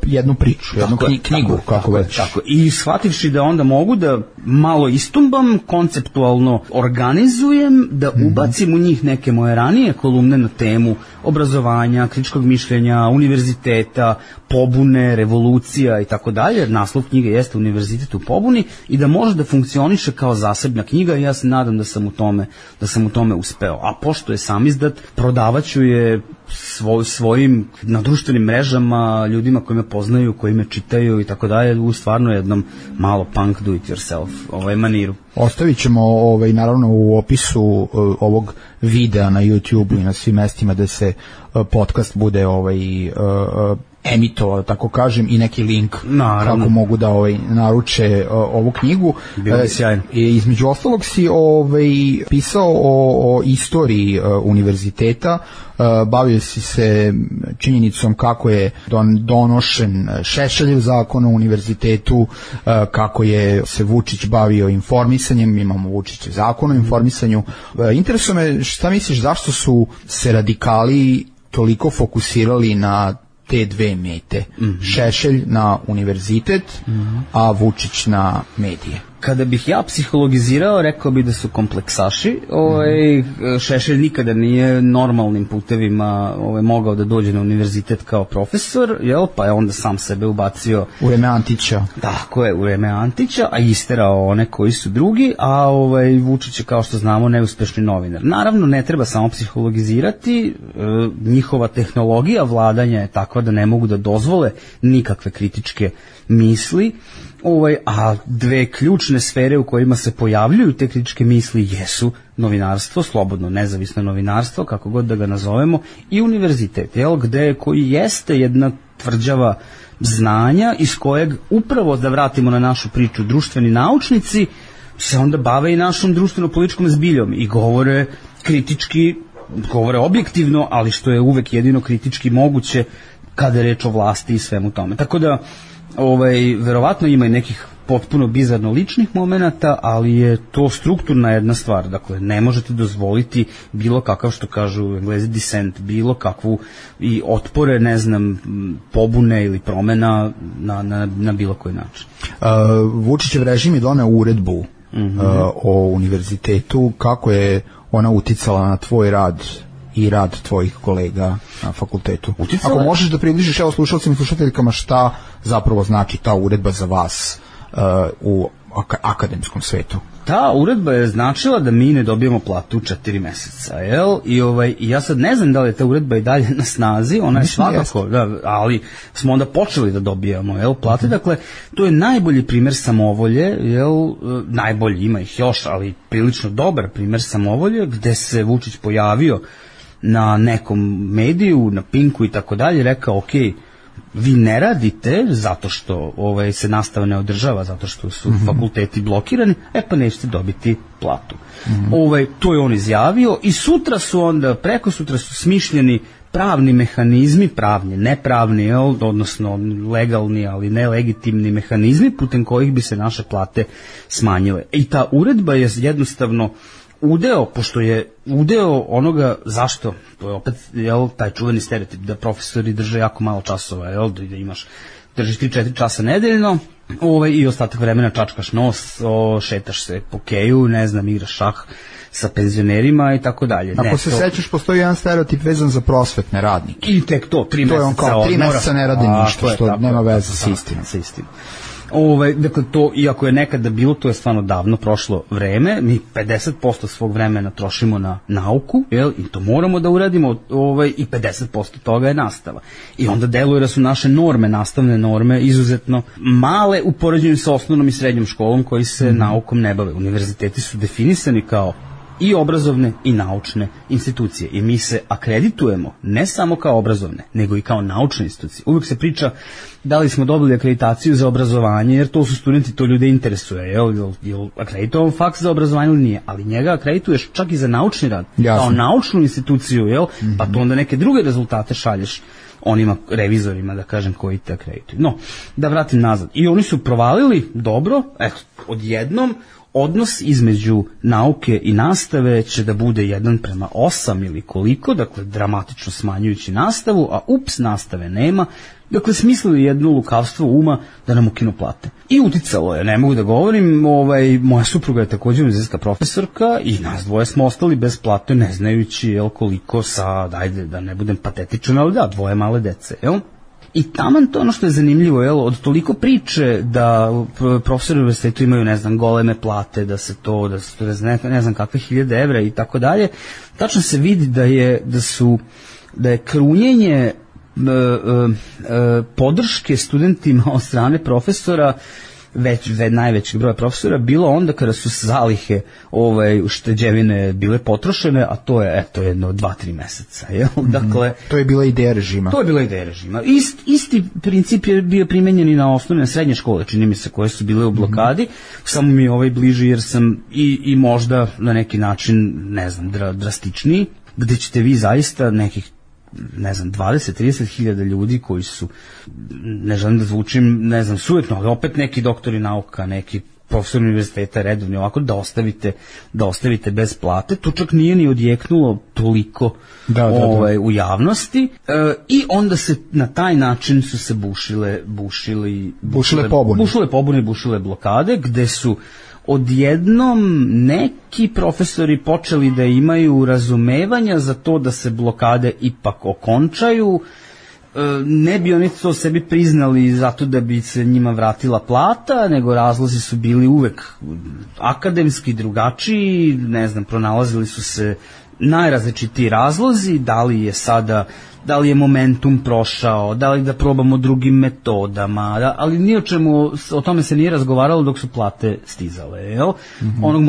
jednu priču, jednu knjigu, kako već. Tako. I shvativši da onda mogu da malo istumbam, konceptualno organizujem, da ubacim u njih neke moje ranije kolumne na temu obrazovanja, kritičkog mišljenja, univerziteta, pobune, revolucija i tako dalje, jer naslov knjige jeste Univerzitet u pobuni, i da može da funkcioniše kao zasebna knjiga, i ja se nadam da sam u tome uspeo. A pošto je sam izdat, prodavaću je svojim na društvenim mrežama, ljudima koji me poznaju, koji me čitaju i tako dalje, u stvarno jednom malo punk do it yourself maniru. Ostavit ćemo naravno u opisu ovog videa na YouTube i na svim mestima da se podcast bude emitovao, tako kažem, i neki link Naravno. kako mogu da naruče ovu knjigu. Bilo bi sjajno. Između ostalog si pisao o istoriji univerziteta, bavio si se činjenicom kako je donošen Šešeljev zakon o univerzitetu, kako je se Vučić bavio informisanjem, imamo Vučićev zakon o informisanju. Interesuje me šta misliš, zašto su se radikali toliko fokusirali na te dve mete, Šešelj na univerzitet, a Vučić na medije? Kada bih ja psihologizirao, rekao bih da su kompleksaši. Šešelj nikada nije normalnim putevima mogao da dođe na univerzitet kao profesor, pa je onda sam sebe ubacio u vreme Antića. Tako je, u vreme Antića, a isterao one koji su drugi, a Vučić je, kao što znamo, neuspešni novinar. Naravno, ne treba samo psihologizirati, njihova tehnologija vladanja je takva da ne mogu da dozvole nikakve kritičke misli, a dve ključne sfere u kojima se pojavljuju te kritičke misli jesu novinarstvo, slobodno nezavisno novinarstvo, kako god da ga nazovemo, i univerzitet, koji jeste jedna tvrđava znanja iz kojeg, upravo da vratimo na našu priču, društveni naučnici se onda bave i našom društveno-političkom zbiljom i govore kritički, govore objektivno, ali što je uvek jedino kritički moguće kada je reč o vlasti i svemu tome. Tako da verovatno ima i nekih potpuno bizarno ličnih momenata, ali je to strukturna jedna stvar. Dakle, ne možete dozvoliti bilo kakav, što kažu Englezi, dissent, bilo kakvu i otpore, pobune ili promena na bilo koji način. Vučićev režim je doneo uredbu o univerzitetu. Kako je ona uticala na tvoj rad i rad tvojih kolega na fakultetu? Ako možeš da približiš slušalcima i slušateljkama šta zapravo znači ta uredba za vas u akademskom svetu. Ta uredba je značila da mi ne dobijemo platu 4 meseca, I ja sad ne znam da li je ta uredba i dalje na snazi, ona je svakako, ali smo onda počeli da dobijamo plate, dakle, to je najbolji primer samovolje, najbolji, ima ih još, ali prilično dobar primer samovolje, gde se Vučić pojavio na nekom mediju, na Pinku i tako dalje, rekao, vi ne radite zato što se nastava ne održava, zato što su fakulteti blokirani, pa nećete dobiti platu. To je on izjavio i sutra su onda, preko sutra su smišljeni pravni mehanizmi, pravni, nepravni, odnosno legalni, ali nelegitimni mehanizmi putem kojih bi se naše plate smanjile. I ta uredba je jednostavno udeo, pošto je udeo onoga, zašto, to je opet taj čuveni stereotip da profesori drže jako malo časova, da držiš 3-4 časa nedeljno i ostatak vremena čačkaš nos, šetaš se po keju, igraš šah sa penzionerima i tako dalje. Ako se sećaš, postoji jedan stereotip vezan za prosvetne radnike. I tek to, 3 meseca odmora. To je on kao 3 meseca ne radi ništa, što nema veze sa istinom. Dakle, to, iako je nekada bilo, to je stvarno davno prošlo vreme, mi 50% svog vremena trošimo na nauku, i to moramo da uradimo, i 50% toga je nastava. I onda deluje da su naše norme, nastavne norme, izuzetno male u poređenju sa osnovnom i srednjom školom koji se naukom ne bave. Univerziteti su definisani kao i obrazovne i naučne institucije i mi se akreditujemo ne samo kao obrazovne, nego i kao naučne institucije. Uvijek se priča da li smo dobili akreditaciju za obrazovanje, jer to su studenti, to ljude interesuje, je li akreditovan faks za obrazovanje ili nije, ali njega akredituješ čak i za naučni rad, kao naučnu instituciju, pa to onda neke druge rezultate šalješ onima revizorima, da kažem, koji te akredituju. No, da vratim nazad. I oni su provalili dobro, odjednom, odnos između nauke i nastave će da bude 1:8 ili koliko, dakle dramatično smanjujući nastavu, a nastave nema, dakle smislili jedno lukavstvo uma da nam ukinu plate. I uticalo je, ne mogu da govorim, moja supruga je također univerzitetska profesorka i nas dvoje smo ostali bez plate, ne znajući koliko sad, ajde da ne budem patetičan, ali da, 2 male dece, I taman to ono što je zanimljivo, od toliko priče da profesori u univerzitetu imaju, goleme plate, da se to, ne znam kakve 1000 evra i tako dalje, tačno se vidi da je krunjenje podrške studentima od strane profesora najvećeg broja profesora bilo onda kada su zalihe ušteđevine bile potrošene, a to je eto jedno 2-3 meseca, jel? Dakle, to je bila ideja režima. To je bila ideja režima. Isti princip je bio primenjen i na osnovne srednje škole, čini mi se, koje su bile u blokadi, samo mi je bliži jer sam i možda na neki način, ne znam, drastičniji, gde ćete vi zaista nekih 20-30 hiljada ljudi koji su, ne želim da zvučim, sujetno, ali opet neki doktori nauka, neki profesor univerziteta redovni, ovako da ostavite bez plate. To čak nije ni odjeknulo toliko u javnosti i onda se na taj način su se bušile pobune, bušile blokade, gde su odjednom neki profesori počeli da imaju razumevanja za to da se blokade ipak okončaju. Ne bi oni to sebi priznali zato da bi se njima vratila plata, nego razlozi su bili uvek akademski, drugačiji, pronalazili su se najrazličitiji razlozi, da li je momentum prošao, da li da probamo drugim metodama, ali ni o tome se nije razgovaralo dok su plate stizale, jel? Onog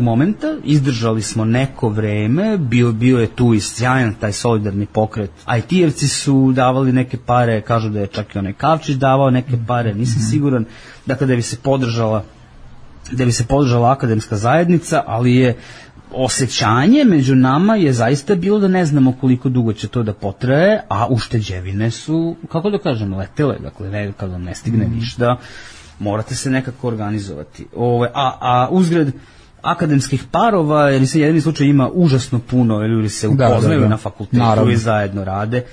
momenta, izdržali smo neko vreme, bio je tu i sjajan taj solidarni pokret, IT-evci su davali neke pare, kažu da je čak i onaj Kavčić davao neke pare, nisam siguran, dakle da bi se podržala akademska zajednica, ali je osjećanje među nama je zaista bilo da ne znamo koliko dugo će to da potraje, a ušteđevine su, kako da kažem, letele, dakle kad vam ne stigne ništa, morate se nekako organizovati. A uzgred akademskih parova, jer se jedini slučaj ima užasno puno, ili se upoznaju na fakultetu i zajedno rade,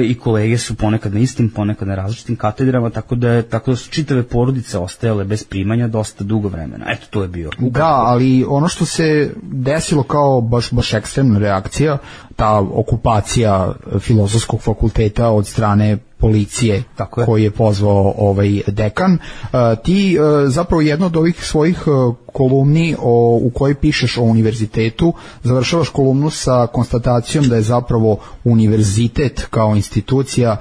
i kolege su ponekad na istim, ponekad na različitim katedrama, tako da su čitave porodice ostajale bez primanja dosta dugo vremena. Eto, to je bio. Da, ali ono što se desilo kao baš ekstremna reakcija, ta okupacija Filozofskog fakulteta od strane policije koji je pozvao dekan, ti zapravo jedno od ovih svojih kolumni u kojoj pišeš o univerzitetu, završavaš kolumnu sa konstatacijom da je zapravo univerzitet kao institucija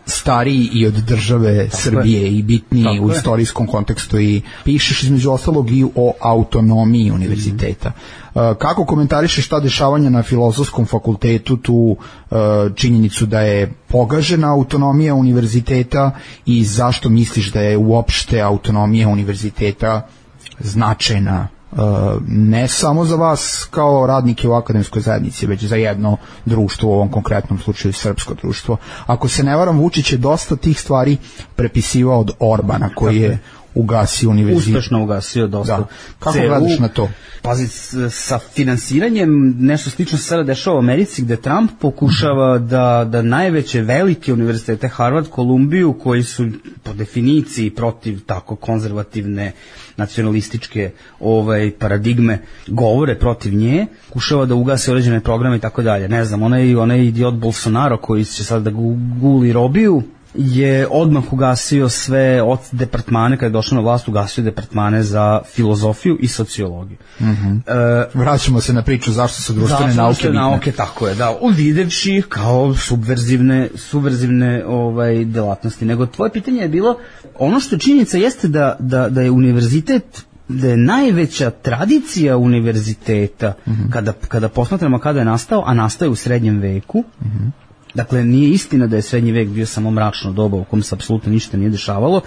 stariji i od države Srbije i bitniji u istorijskom kontekstu, i pišeš između ostalog i o autonomiji univerziteta. Kako komentarišeš ta dešavanja na Filozofskom fakultetu, tu činjenicu da je pogažena autonomija univerziteta, i zašto misliš da je uopšte autonomija univerziteta značajna ne samo za vas kao radnike u akademskoj zajednici, već za jedno društvo, u ovom konkretnom slučaju srpsko društvo? Ako se ne varam, Vučić je dosta tih stvari prepisivao od Orbana, koji je ugasio univerzitet. Uspešno ugasio dosta. Da. Kako gledaš na to? Pazi, sa finansiranjem nešto slično se sada dešava u Americi, gde Trump pokušava da najveće velike univerzitete, Harvard, Kolumbiju, koji su po definiciji protiv tako konzervativne nacionalističke paradigme, govore protiv nje, pokušava da ugase određene programe i tako dalje. Ne znam, onaj idiot Bolsonaro koji će sad da guli robiju, je odmah ugasio sve od departmane, kada je došao na vlast, ugasio departmane za filozofiju i sociologiju. Vraćamo se na priču zašto su društvene nauke, tako je, da, uvidevši ih kao subverzivne delatnosti. Nego tvoje pitanje je bilo, ono što činjenica jeste da je univerzitet, da je najveća tradicija univerziteta, kada posmatramo kada je nastao, a nastao je u srednjem veku. Dakle, nije istina da je srednji vek bio samo mračno doba u kom se apsolutno ništa nije dešavalo.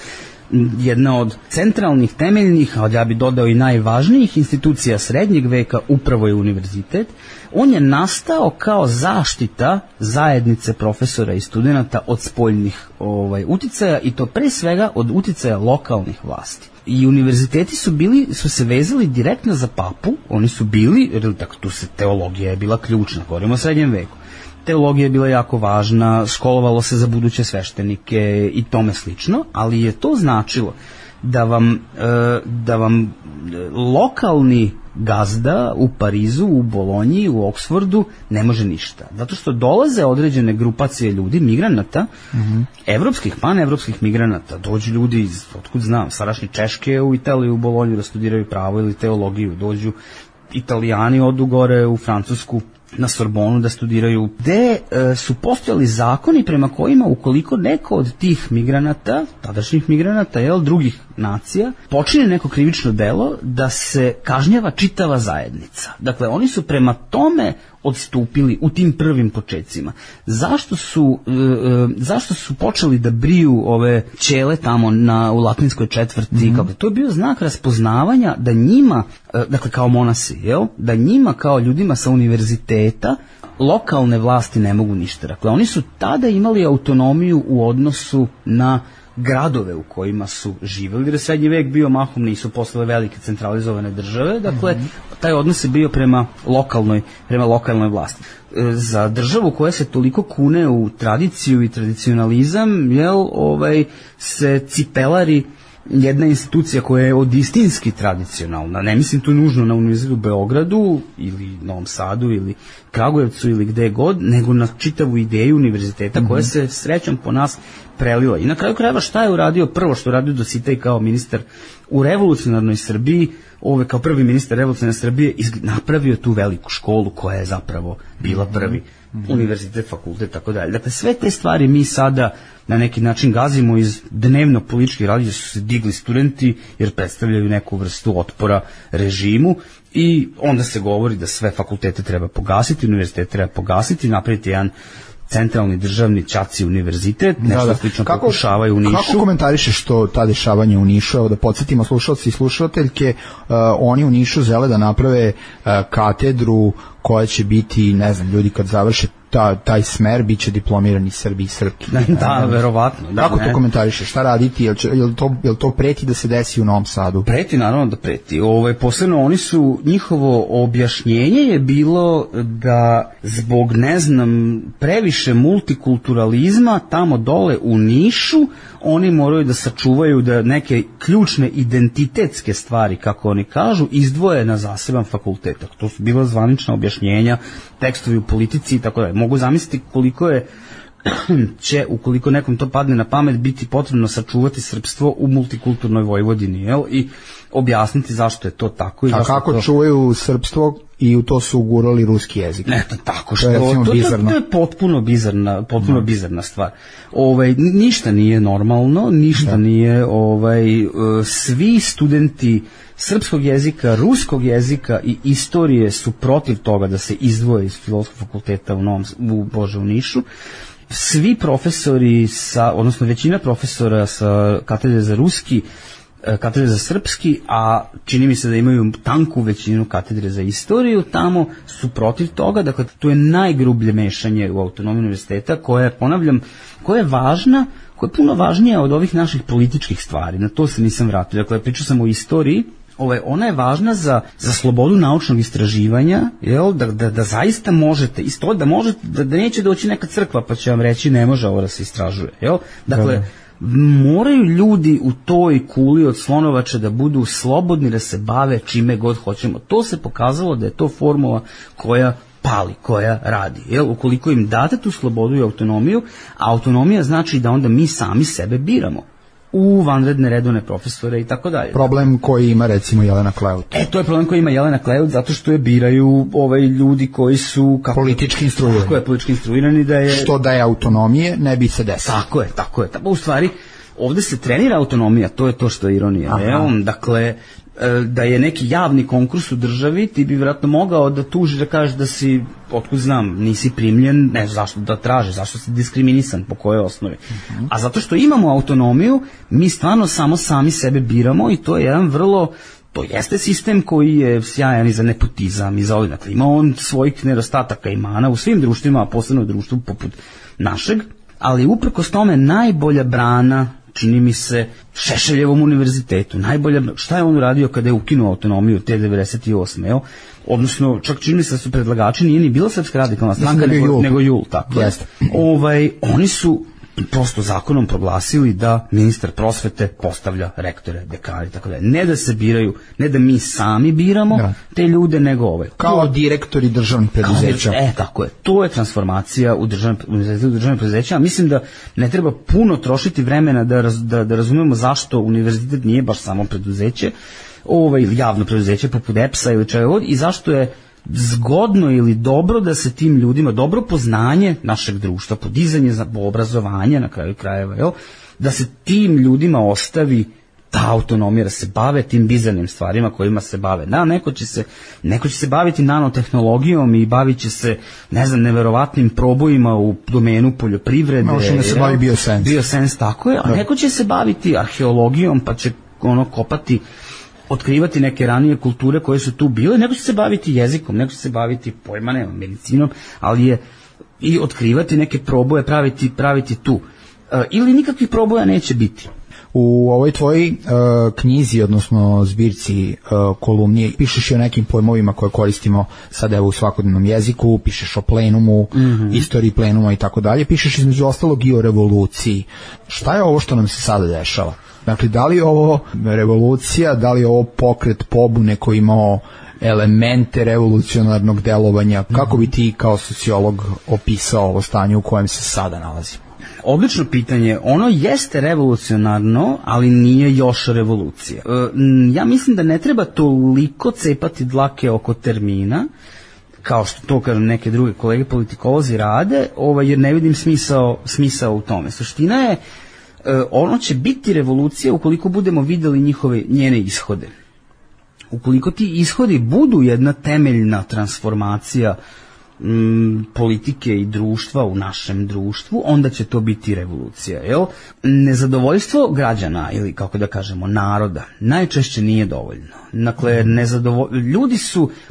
Jedna od centralnih, temeljnih, a ja bih dodao i najvažnijih institucija srednjeg veka upravo je univerzitet. On je nastao kao zaštita zajednice profesora i studenata od spoljnih uticaja, i to pre svega od uticaja lokalnih vlasti. I univerziteti su se vezali direktno za papu, oni su bili, dakle tu se teologija je bila ključna, govorimo o srednjem veku. Teologija je bila jako važna, školovalo se za buduće sveštenike i tome slično, ali je to značilo da vam lokalni gazda u Parizu, u Bolonji, u Oksfordu ne može ništa. Zato što dolaze određene grupacije ljudi, migranata, evropskih, panevropskih migranata, dođu ljudi iz, otkud znam, sadašnje Češke u Italiju, u Bolonju da studiraju pravo ili teologiju, dođu Italijani, odu gore u Francusku, na Sorbonu da studiraju, gde su postojali zakoni prema kojima ukoliko neko od tih migranata, tadašnjih migranata, drugih nacija, počine neko krivično delo, da se kažnjava čitava zajednica. Dakle, oni su prema tome odstupili u tim prvim počecima. Zašto su počeli da briju ove ćele tamo u latinskoj četvrti? Kako to je bio znak raspoznavanja da njima, dakle kao monasi, da njima kao ljudima sa univerziteta lokalne vlasti ne mogu ništa. Dakle, oni su tada imali autonomiju u odnosu na gradove u kojima su živjeli, jer je srednji vek bio mahom, nisu postale velike centralizovane države, dakle, taj odnos je bio prema lokalnoj vlasti. Za državu koja se toliko kune u tradiciju i tradicionalizam, se cipelari jedna institucija koja je od istinski tradicionalna, ne mislim tu nužno na Univerzitetu u Beogradu ili Novom Sadu ili Kragujevcu ili gde god, nego na čitavu ideju univerziteta koja se srećom po nas prelila. I na kraju krajeva šta je uradio prvo što je uradio Dositej kao ministar u revolucionarnoj Srbiji, kao prvi ministar revolucionarne Srbije, napravio tu veliku školu koja je zapravo bila prvi univerzitet, fakultet, tako dalje. Dakle, sve te stvari mi sada na neki način gazimo iz dnevno političkih radija, su se digli studenti jer predstavljaju neku vrstu otpora režimu i onda se govori da sve fakultete treba pogasiti, univerzitet treba pogasiti, napraviti jedan centralni državni ćaci univerzitet, nešto slično pokušavaju u Nišu. Kako komentarišeš ta dešavanja u Nišu? Evo da podsjetimo slušalci i slušateljke, oni u Nišu žele da naprave katedru koja će biti, ne znam, ljudi kad završe taj smer biće diplomirani Srbi i Srpki. Da, verovatno. Kako to komentarišeš? Šta raditi? Jel to preti da se desi u Novom Sadu? Preti, naravno da preti. Posebno njihovo objašnjenje je bilo da zbog, ne znam, previše multikulturalizma tamo dole u Nišu oni moraju da sačuvaju da neke ključne identitetske stvari, kako oni kažu, izdvoje na zaseban fakultet. To su bila zvanična objašnjenja, tekstovi u politici i tako dalje. Mogu zamisliti koliko će, ukoliko nekom to padne na pamet, biti potrebno sačuvati srpstvo u multikulturnoj Vojvodini, i objasniti zašto je to tako. A kako čuvaju srpstvo i u to su ugurali ruski jezik? Eto, tako što, to je potpuno bizarna stvar. Ništa nije normalno, ništa nije, svi studenti srpskog jezika, ruskog jezika i istorije su protiv toga da se izdvoje iz Filozofskog fakulteta u Nišu. Svi profesori, odnosno većina profesora sa katedre za ruski, katedre za srpski, a čini mi se da imaju tanku većinu katedre za istoriju, tamo su protiv toga. Dakle, to je najgrublje mešanje u autonomiju univerziteta koja je, ponavljam, koja je važna, koja je puno važnija od ovih naših političkih stvari. Na to se nisam vratio. Dakle, pričao sam o istoriji. Ona je važna za slobodu naučnog istraživanja, da zaista možete, isto da možete, da neće doći neka crkva pa će vam reći ne može ovo da se istražuje. Dakle, moraju ljudi u toj kuli od slonovača da budu slobodni da se bave čime god hoćemo. To se pokazalo da je to formula koja pali, koja radi. Ukoliko im date tu slobodu i autonomiju, a autonomija znači da onda mi sami sebe biramo u vanredne redovne profesore i tako dalje. Problem koji ima recimo Jelena Kleut. To je problem koji ima Jelena Kleut zato što je biraju ljudi koji su politički instruirani. Kako je politički instruirani da je... Što da je autonomije ne bi se desilo. Tako je. U stvari, ovde se trenira autonomija, to je to što je ironija. Dakle, da je neki javni konkurs u državi, ti bi vjerojatno mogao da tužiš, da kažeš da si, otkud znam, nisi primljen, ne znam zašto da tražiš, zašto si diskriminisan, po kojoj osnovi. A zato što imamo autonomiju, mi stvarno samo sami sebe biramo i to je jedan vrlo, to jeste sistem koji je sjajan i za nepotizam i za ovdje. Dakle, ima on svojih nedostataka i mana u svim društvima, a posebno u društvu poput našeg, ali uprkos tome najbolja brana, čini mi se, Šešeljevom univerzitetu. Šta je on uradio kada je ukinuo autonomiju te 98. Odnosno, čak čini mi se da su predlagači, nije ni bila Srpska radikalna stranka, nego JUL. Tako. Oni su prosto zakonom proglasili da ministar prosvete postavlja rektore, dekane, tako da. Ne da se biraju, ne da mi sami biramo te ljude, nego kao direktori državnih preduzeća. Tako je. To je transformacija u državnih preduzeća. Mislim da ne treba puno trošiti vremena da razumemo zašto univerzitet nije baš samo preduzeće, ili javno preduzeće poput EPS-a ili čega god, i zašto je zgodno ili dobro da se tim ljudima, dobro poznanje našeg društva, podizanje obrazovanja na kraju krajeva, jel? Da se tim ljudima ostavi ta autonomija, da se bave tim bizarnim stvarima kojima se bave. Da, neko će se baviti nanotehnologijom i bavit će se, ne znam, neverovatnim probojima u domenu poljoprivrede. Možemo da se bavi biosens. Biosens, tako je, a neko će se baviti arheologijom, pa će kopati, otkrivati neke ranije kulture koje su tu bile, neko će se baviti jezikom, neko će se baviti medicinom, ali je i otkrivati neke proboje, praviti tu. Ili nikakvih proboja neće biti. U ovoj tvojoj knjizi, odnosno zbirci kolumni, pišeš i o nekim pojmovima koje koristimo sad evo u svakodnevnom jeziku, pišeš o plenumu, istoriji plenuma i tako dalje, pišeš između ostalog i o revoluciji. Šta je ovo što nam se sada dešava? Dakle, da li je ovo revolucija, da li je ovo pokret pobune koji imao elemente revolucionarnog delovanja? Kako bi ti kao sociolog opisao ovo stanje u kojem se sada nalazimo? Odlično pitanje. Ono jeste revolucionarno, ali nije još revolucija. Ja mislim da ne treba toliko cepati dlake oko termina, kao što to kažem neke druge kolege politikolozi rade, jer ne vidim smisao u tome. Suština je, ono će biti revolucija ukoliko budemo videli njene ishode. Ukoliko ti ishodi budu jedna temeljna transformacija politike i društva u našem društvu, onda će to biti revolucija. Jel? Nezadovoljstvo građana ili kako da kažemo naroda najčešće nije dovoljno. Dakle,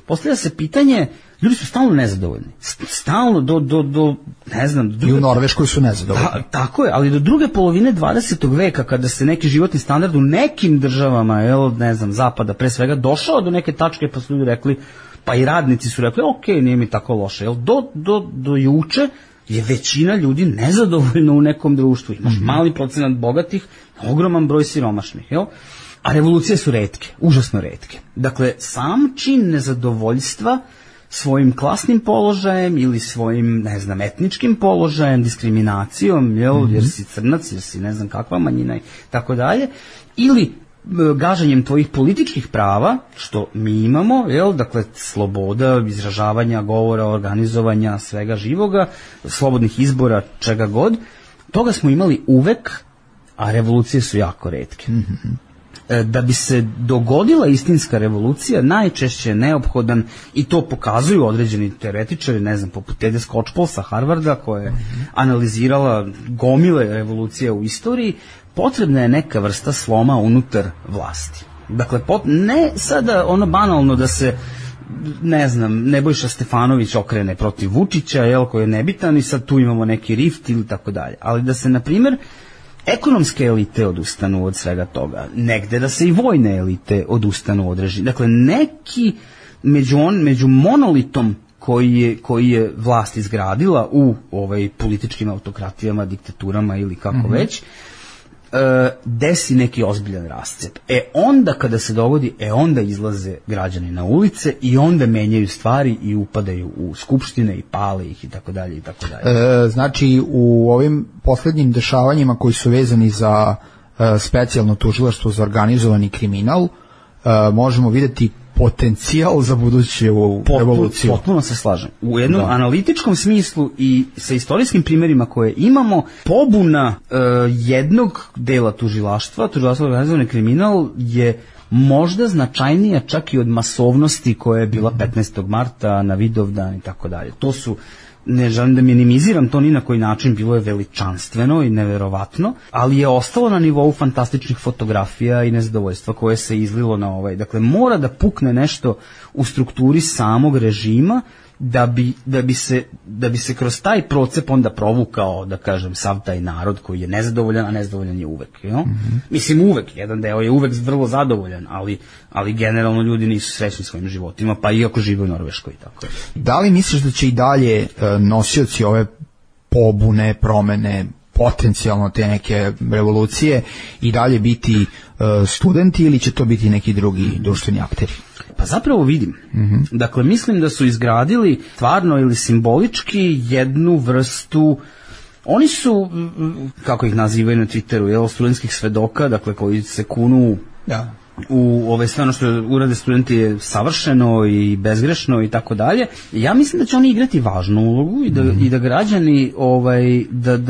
postavlja se pitanje, ljudi su stalno nezadovoljni. Stalno do ne znam... I u Norveškoj su nezadovoljni. Tako je, ali do druge polovine 20. veka, kada se neki životni standard u nekim državama, ne znam, zapada pre svega, došao do neke tačke pa su ljudi rekli, pa i radnici su rekli, ok, nije mi tako loše. Do juče je većina ljudi nezadovoljna u nekom društvu. Imaš mali procenat bogatih, ogroman broj siromašnih. A revolucije su retke, užasno retke. Dakle, sam čin nezadovoljstva svojim klasnim položajem ili svojim, ne znam, etničkim položajem, diskriminacijom, jer si crnac, jer si ne znam kakva manjina i tako dalje, ili gaženjem tvojih političkih prava, što mi imamo, dakle, sloboda izražavanja, govora, organizovanja, svega živoga, slobodnih izbora, čega god, toga smo imali uvek, a revolucije su jako retke. Da bi se dogodila istinska revolucija, najčešće je neophodan, i to pokazuju određeni teoretičari, ne znam, poput Tede Skocpol sa Harvarda, koja je analizirala gomile revolucija u istoriji, potrebna je neka vrsta sloma unutar vlasti. Dakle, ne sada ono banalno da se, ne znam, Nebojša Stefanović okrene protiv Vučića, koji je nebitan i sad tu imamo neki rift ili tako dalje. Ali da se, na primjer, ekonomske elite odustanu od svega toga, negde da se i vojne elite odustanu od režima. Dakle, neki među monolitom koji je vlast izgradila u političkim autokratijama, diktaturama ili kako već, desi neki ozbiljan rascep. Onda kada se dogodi, onda izlaze građani na ulice i onda menjaju stvari i upadaju u skupštine i pale ih i tako dalje i tako dalje. Znači, u ovim poslednjim dešavanjima koji su vezani za specijalno tužilaštvo za organizovani kriminal, možemo videti potencijal za buduću revoluciju. Potpuno se slažem. U jednom analitičkom smislu i sa istorijskim primjerima koje imamo, pobuna jednog dela tužilaštva za organizovani kriminal je možda značajnija čak i od masovnosti koja je bila 15. marta na Vidovdan i tako dalje. To su, ne želim da minimiziram to ni na koji način, bilo je veličanstveno i neverovatno, ali je ostalo na nivou fantastičnih fotografija i nezadovoljstva koje se izlilo na Dakle, mora da pukne nešto u strukturi samog režima da bi se kroz taj procep onda provukao, da kažem, sav taj narod koji je nezadovoljan, a nezadovoljan je uvek. Mislim, uvek, jedan deo je uvek vrlo zadovoljan, ali generalno ljudi nisu srećni svojim životima, pa iako žive u Norveškoj. Tako. Da li misliš da će i dalje nosioci ove pobune, promene, potencijalno te neke revolucije i dalje biti studenti ili će to biti neki drugi društveni akteri? Pa zapravo vidim. Dakle, mislim da su izgradili stvarno ili simbolički jednu vrstu, oni su, kako ih nazivaju na Twitteru, studentskih svedoka, dakle, koji se kunu sve ono što urade studenti je savršeno i bezgrešno i tako dalje. Ja mislim da će oni igrati važnu ulogu i da građani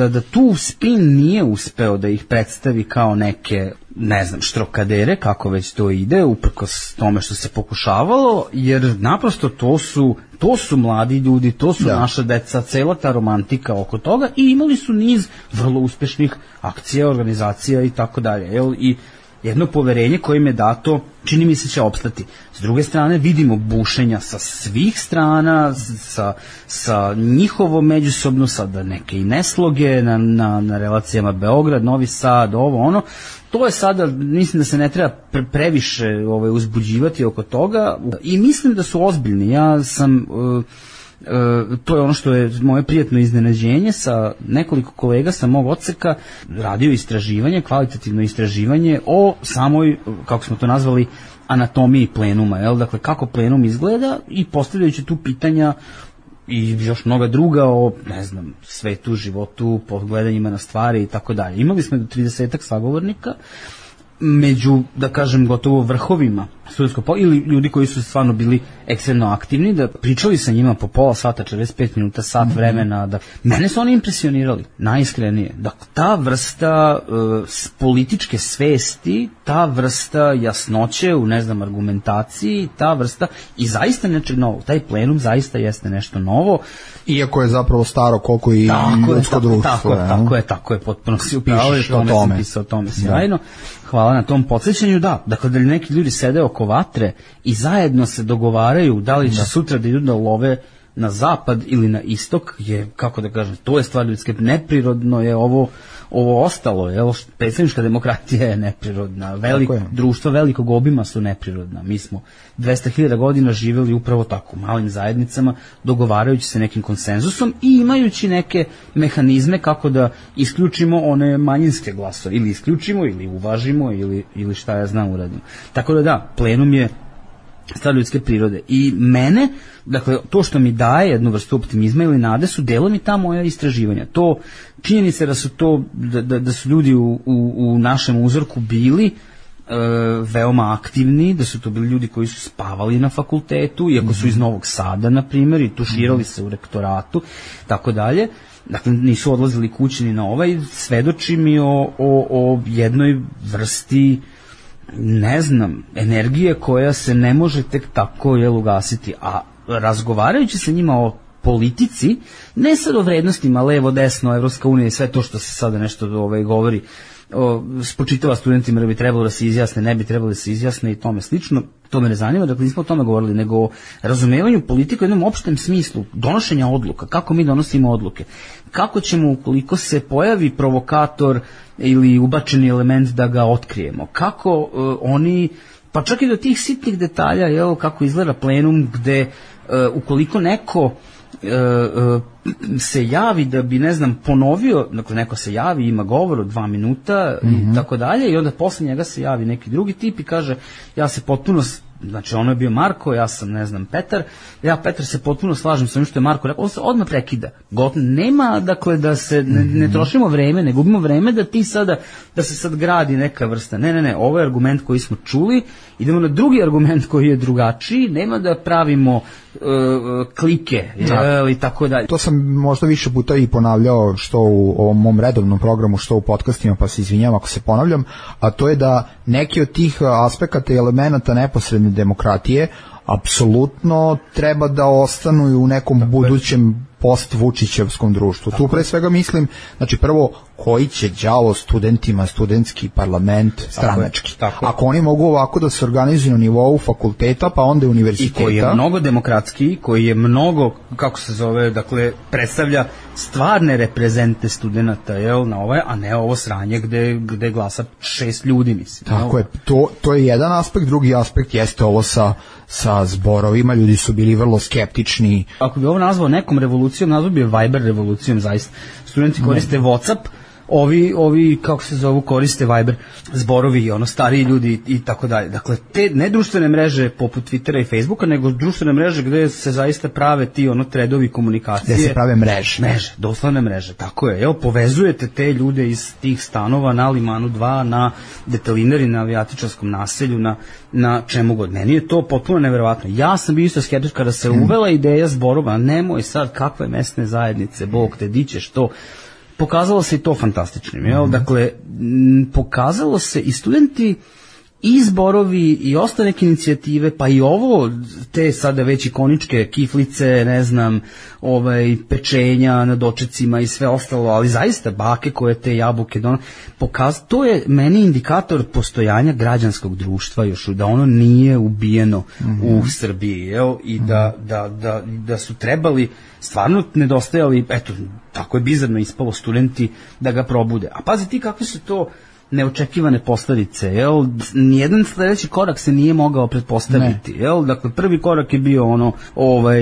da tu spin nije uspeo da ih predstavi kao neke, ne znam, štrokadere, kako već to ide, uprkos tome što se pokušavalo, jer naprosto to su mladi ljudi, to su naša deca, cela ta romantika oko toga, i imali su niz vrlo uspešnih akcija, organizacija i tako dalje, i jedno poverenje koje im je dato, čini mi se, će opstati. S druge strane, vidimo bušenja sa svih strana, sa njihovo međusobno, sada neke i nesloge na relacijama Beograd, Novi Sad, ovo, ono. To je sada, mislim da se ne treba previše uzbuđivati oko toga, i mislim da su ozbiljni. Ja sam... to je ono što je moje prijatno iznenađenje, sa nekoliko kolega sa mog odseka radio istraživanje, kvalitativno istraživanje o samoj, kako smo to nazvali, anatomiji plenuma, dakle kako plenum izgleda, i postavljajući tu pitanja i još mnoga druga o, ne znam, svetu, životu, pogledanjima na stvari i tako dalje. Imali smo do 30-ak sagovornika, među, da kažem, gotovo vrhovima studentskog ili ljudi koji su stvarno bili ekstremno aktivni, da pričali sa njima po pola sata, 45 minuta, sat vremena, da mene su oni impresionirali, najiskrenije. Dakle, ta vrsta političke svesti, ta vrsta jasnoće u, ne znam, argumentaciji, ta vrsta, i zaista nečeg novog, taj plenum zaista jeste nešto novo. Iako je zapravo staro koliko i ljudsko društvo. Tako je, potpuno si upravo, o tome sjajno. Hvala na tom podsjećanju, dakle da li neki ljudi sede oko vatre i zajedno se dogovaraju da li će sutra da idu da love na zapad ili na istok, je, kako da kažem, to je stvar ljudske, neprirodno je ovo ostalo, predstavnička demokratija je neprirodna, društva velikog obima su neprirodna, mi smo 200.000 godina živjeli upravo tako, malim zajednicama, dogovarajući se nekim konsenzusom i imajući neke mehanizme kako da isključimo one manjinske glasove, ili isključimo, ili uvažimo, ili šta ja znam uradimo. Tako da plenum je stvar ljudske prirode. I mene, dakle, to što mi daje jednu vrstu optimizma ili nade su delom i ta moja istraživanja. To, činjenica da su to, da su ljudi u našem uzorku bili veoma aktivni, da su to bili ljudi koji su spavali na fakultetu, iako su iz Novog Sada, na primjer, i tuširali se u rektoratu, tako dalje. Dakle, nisu odlazili kući ni na svedoči mi o jednoj vrsti, ne znam, energije koja se ne može tek tako ugasiti, a razgovarajući sa njima o politici, ne sad o vrednostima, levo, desno, Evropska unija i sve to što se sada nešto govori, spočitava studentima da bi trebalo da se izjasne, ne bi trebalo da se izjasne i tome slično, to me ne zanima, dakle nismo o tome govorili, nego o razumevanju politike u jednom opštem smislu, donošenja odluka, kako mi donosimo odluke, kako ćemo, ukoliko se pojavi provokator ili ubačeni element, da ga otkrijemo, kako oni, pa čak i do tih sitnih detalja, kako izgleda plenum, gde ukoliko neko se javi da bi, ne znam, ponovio, dakle neko se javi, ima govor od 2 minuta i tako dalje, i onda posle njega se javi neki drugi tip i kaže, ja se potpuno, znači ono je bio Marko, ja sam, ne znam, Petar, Petar se potpuno slažem sa onim što je Marko rekao, on se odmah prekida. Nema, dakle, da se ne trošimo vreme, ne gubimo vreme da se sad gradi neka vrsta. Ne, ovo je argument koji smo čuli, idemo na drugi argument koji je drugačiji, nema da pravimo klike i tako dalje. To sam možda više puta i ponavljao, što u ovom mom redovnom programu, što u podcastima, pa se izvinjam ako se ponavljam, a to je da neki od tih aspekata i elemenata neposredne demokratije apsolutno treba da ostanu i u nekom budućem post-Vučićevskom društvu. Tu pre svega mislim, znači prvo, koji će đavo studentima studentski parlament stranački. Ako oni mogu ovako da se organizuju na nivou fakulteta, pa onda univerziteta. I koji je mnogo demokratski, koji je mnogo, kako se zove, dakle, predstavlja stvarne reprezente studenta, a ne ovo sranje gde glasa 6 ljudi, mislim. Tako je, to je jedan aspekt, drugi aspekt jeste ovo sa zborovima, ljudi su bili vrlo skeptični. Ako bi ovo nazvao nekom revolucijom, nazvao bi je Viber revolucijom, zaista. Studenti koriste WhatsApp, ovi kako se zovu, koriste Viber, zborovi, stariji ljudi i tako dalje. Dakle, te ne društvene mreže poput Twittera i Facebooka, nego društvene mreže gde se zaista prave ti tredovi komunikacije. Gde se prave mreže. Mreže, doslovne mreže, tako je. Evo, povezujete te ljude iz tih stanova na Limanu 2, na Detelinari, na Avijatičarskom naselju, na čemu god. Meni je to potpuno neverovatno. Ja sam bio isto skeptičan kada se uvela ideja zborova, nemoj sad kakve mesne zajednice, Bog te, di ćeš to. Pokazalo se i to fantastičnim, jel? Dakle, pokazalo se i studenti i zborovi i ostale neke inicijative, pa i ovo, te sada već ikoničke kiflice, ne znam, pečenja na dočecima i sve ostalo, ali zaista bake koje te jabuke to je meni indikator postojanja građanskog društva još, da ono nije ubijeno u Srbiji, jel? I da su trebali, stvarno nedostajali, eto, tako je bizarno ispalo, studenti da ga probude. A pazi ti kakve su to neočekivane posledice, jel? Nijedan sledeći korak se nije mogao pretpostaviti, jel? Dakle, prvi korak je bio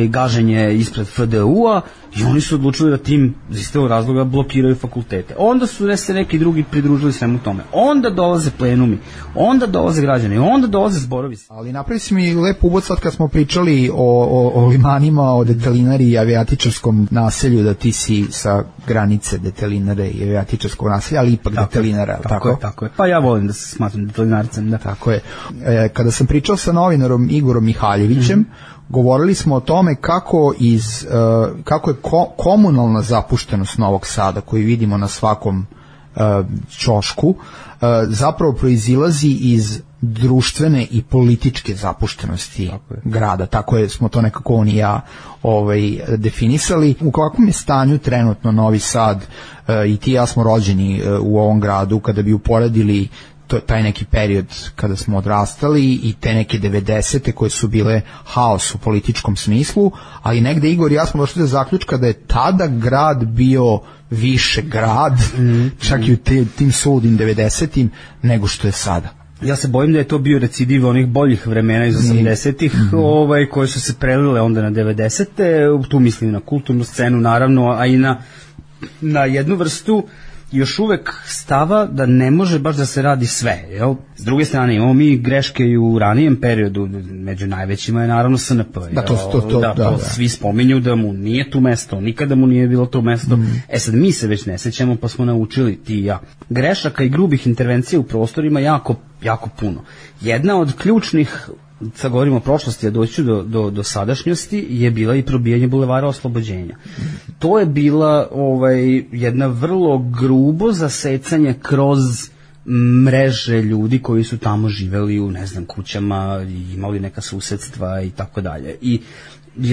gaženje ispred FDU-a i oni su odlučili da tim iz istog razloga blokiraju fakultete. Onda su se neki drugi pridružili svemu tome. Onda dolaze plenumi, onda dolaze građani, onda dolaze zborovi. Ali napravi si mi lep uvod sad kad smo pričali o limanima, o Detelinari i Avijatičarskom naselju, da ti si sa granice Detelinare i Avijatičarskog naselja, ali ipak Detelinara, tako? Tako je. Pa ja volim da se smatram detelinarcem, da. Tako je. Kada sam pričao sa novinarom Igorom Mihaljevićem, govorili smo o tome kako je komunalna zapuštenost Novog Sada, koju vidimo na svakom ćošku, zapravo proizilazi iz društvene i političke zapuštenosti grada. Tako smo to nekako on i ja definisali. U kakvom je stanju trenutno Novi Sad? I ti i ja smo rođeni u ovom gradu, kada bi uporedili taj neki period kada smo odrastali i te neke 90-te koje su bile haos u političkom smislu, ali negde Igor i ja smo došli do zaključka da je tada grad bio više grad, čak i u tim suludim 90-im, nego što je sada. Ja se bojim da je to bio recidiv onih boljih vremena iz 80-ih, koje su se prelile onda na 90-te, tu mislim na kulturnu scenu naravno, a i na jednu vrstu još uvek stava da ne može baš da se radi sve, jel? S druge strane, imamo mi greške i u ranijem periodu, među najvećima je naravno SNP, to svi spominju da mu nije tu mesto, nikada mu nije bilo to mesto. Sad mi se već ne sećamo, pa smo naučili, ti i ja. Grešaka i grubih intervencija u prostorima jako, jako puno. Jedna od ključnih, sad govorimo o prošlosti, a doći ću do sadašnjosti, je bila i probijanje Bulevara Oslobođenja. To je bila jedna vrlo grubo zasecanje kroz mreže ljudi koji su tamo živeli u, ne znam, kućama, imali neka susedstva i tako dalje. I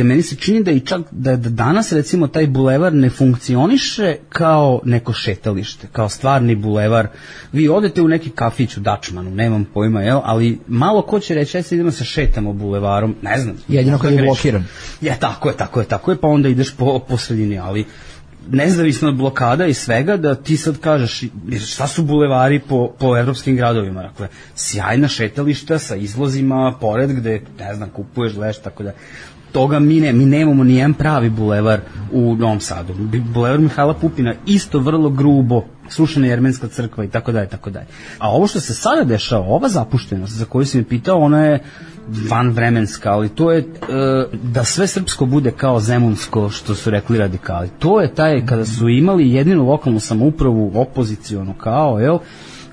meni se čini da i čak da danas recimo taj bulevar ne funkcioniše kao neko šetalište, kao stvarni bulevar. Vi odete u neki kafić u Dačmanu, nemam pojma, jel, ali malo ko će reći, ajde idemo se šetamo bulevarom, ne znam. Jedino kad je blokiran. Tako je, pa onda ideš po sredini, ali nezavisno od blokada i svega, da ti sad kažeš šta su bulevari po evropskim gradovima, dakle, sjajna šetališta sa izlozima pored gde, ne znam, kupuješ, leš, tako da toga mi nemamo nijedan pravi bulevar u Novom Sadu. Bulevar Mihajla Pupina isto vrlo grubo, srušena Jermenska crkva i tako dalje, tako dalje. A ovo što se sada dešava, ova zapuštenost za koju si mi pitao, ona je vanvremenska, ali to je da sve srpsko bude kao zemunsko, što su rekli radikali. To je taj, kada su imali jedinu lokalnu samoupravu opozicionu kao, jel,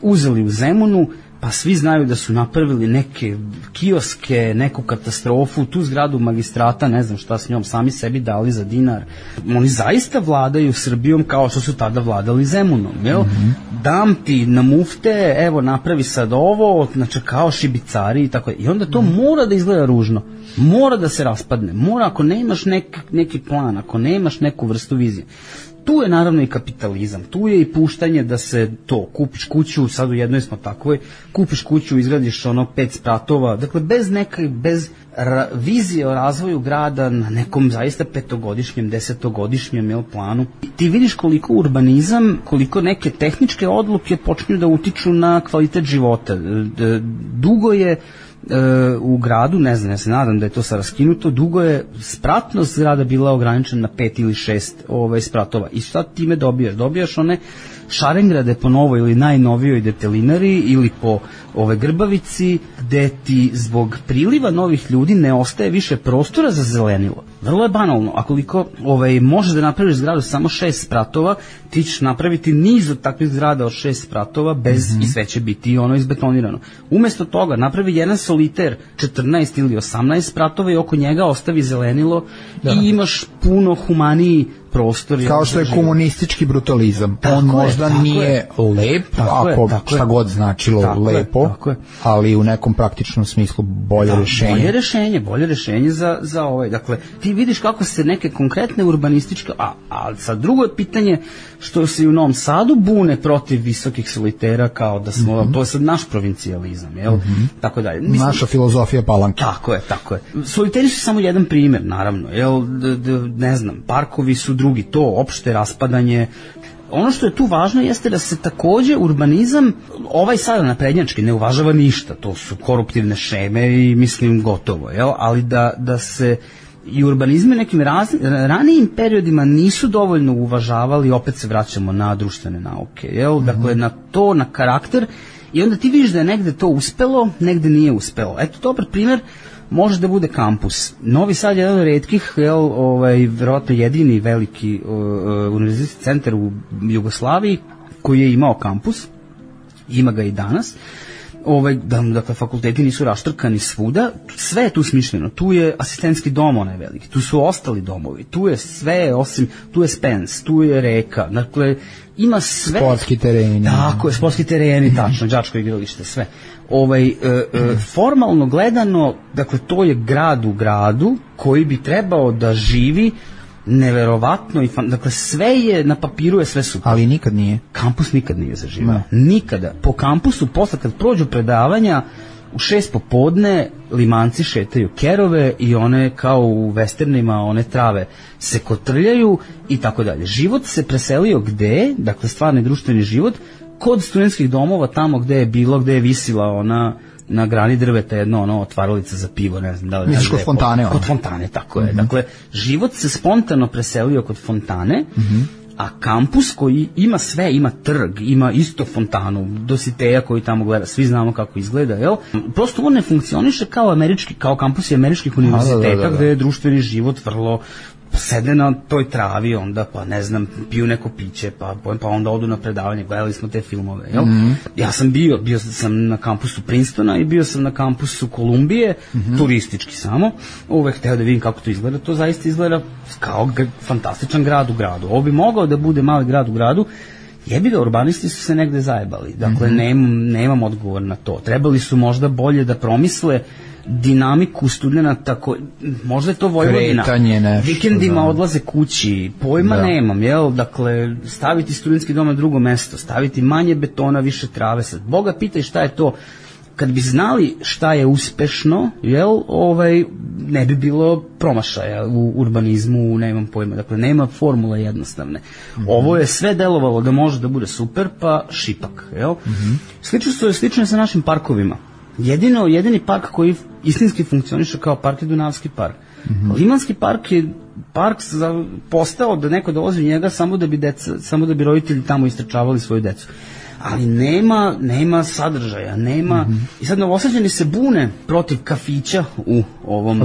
uzeli u Zemunu, pa svi znaju da su napravili neke kioske, neku katastrofu, tu zgradu magistrata, ne znam šta s njom, sami sebi dali za dinar. Oni zaista vladaju Srbijom kao što su tada vladali Zemunom, jel? Dam ti na mufte, evo napravi sad ovo, znači kao šibicari i tako. I onda to mora da izgleda ružno, mora da se raspadne, mora, ako nemaš neki plan, ako nemaš neku vrstu vizije. Tu je naravno i kapitalizam, tu je i puštanje da se to, kupiš kuću, sad u jednoj smo takvoj, kupiš kuću, izgradiš 5 spratova, dakle bez vizije o razvoju grada na nekom zaista 5-godišnjem, 10-godišnjem planu. Ti vidiš koliko urbanizam, koliko neke tehničke odluke počinju da utiču na kvalitet života. Dugo je u gradu, ne znam, ja se nadam da je to sad raskinuto, dugo je spratnost grada bila ograničena na 5 ili 6 spratova. I šta time dobijaš? Dobijaš one Šarengrade po novoj ili najnovijoj detelinari ili po Grbavici, gde ti zbog priliva novih ljudi ne ostaje više prostora za zelenilo. Vrlo je banalno, akoliko možeš da napraviš zgradu samo 6 spratova, ti ćeš napraviti niz od takvih zgrada od 6 spratova bez i sve će biti izbetonirano. Umesto toga napravi jedan soliter 14 ili 18 spratova i oko njega ostavi zelenilo i imaš puno humaniji prostor. Kao što je komunistički brutalizam. On možda nije lep, ako šta god značilo lepo, ali u nekom praktičnom smislu bolje rešenje. Bolje rešenje za ovaj. Dakle, ti vidiš kako se neke konkretne urbanističke, a sad drugo je pitanje što se i u Novom Sadu bune protiv visokih solitera, kao da smo, to je sad naš provincijalizam, jel? Tako dalje. Naša filozofija Palanke. Tako je. Soliteri su samo jedan primjer, naravno, jel? Ne znam, parkovi su drugi, to opšte raspadanje. Ono što je tu važno jeste da se takođe urbanizam, sada naprednjački, ne uvažava ništa, to su koruptivne šeme i mislim gotovo, jel? Ali da se i urbanizme nekim ranijim periodima nisu dovoljno uvažavali, opet se vraćamo na društvene nauke, jel? Dakle, na to, na karakter, i onda ti vidiš da je negde to uspelo, negde nije uspelo. Eto, dobar primjer može da bude kampus. Novi Sad je jedan od retkih, verovatno jedini veliki univerzitetski centar u Jugoslaviji koji je imao kampus, ima ga i danas. Dakle, fakulteti nisu raštrkani svuda, sve je tu smišljeno, tu je asistentski dom onaj veliki, tu su ostali domovi, tu je sve osim, tu je Spens, tu je reka, dakle, ima sve. Sportski tereni. Tako je, sportski tereni, tačno, đačko igralište, sve. Formalno gledano, dakle, to je grad u gradu koji bi trebao da živi neverovatno i dakle sve je na papiru, je sve super. Ali nikad nije. Kampus nikad nije zaživao. Nikada. Po kampusu posle kad prođu predavanja u 6 popodne limanci šetaju kerove i one kao u westernima, one trave se kotrljaju i tako dalje. Život se preselio gde? Dakle, stvarni društveni život kod studentskih domova, tamo gde je bilo, gde je visila ona na grani drveta jedno otvaralica za pivo, ne znam da li. Misliš kod fontane? Kod fontane, tako je. Dakle, život se spontano preselio kod fontane, a kampus koji ima sve, ima trg, ima isto fontanu, Dositeja koji tamo gleda, svi znamo kako izgleda, jel? Prosto on ne funkcioniše kao kampusi američkih univerziteta, gde je društveni život vrlo sede na toj travi, onda pa ne znam, piju neko piće, pa onda odu na predavanje, gledali smo te filmove, jel? Ja sam bio sam na kampusu Princetona i bio sam na kampusu Kolumbije, turistički samo, uvek hteo da vidim kako to izgleda, to zaista izgleda kao fantastičan grad u gradu. Ovo bi mogao da bude mali grad u gradu, jebi ga, urbanisti su se negde zajebali, dakle nemam odgovor na to. Trebali su možda bolje da promisle dinamiku studenta, možda je to Vojvodina, vikendima odlaze kući, pojma nemam, jel? Dakle, staviti studentski dom na drugo mesto, staviti manje betona, više trave, sad Boga pitaj šta je to. Kad bi znali šta je uspešno, jel, ne bi bilo promašaja u urbanizmu, nemam pojma, dakle, nema formule jednostavne. Ovo je sve delovalo da može da bude super, pa šipak, jel? Slično je sa našim parkovima. Jedini park koji istinski funkcioniše kao park je Dunavski park. Limanski park je park postao da neko dolazi u njega samo da bi roditelji tamo istrčavali svoju decu. Ali nema sadržaja, nema. I sad Novosađani se bune protiv kafića u ovom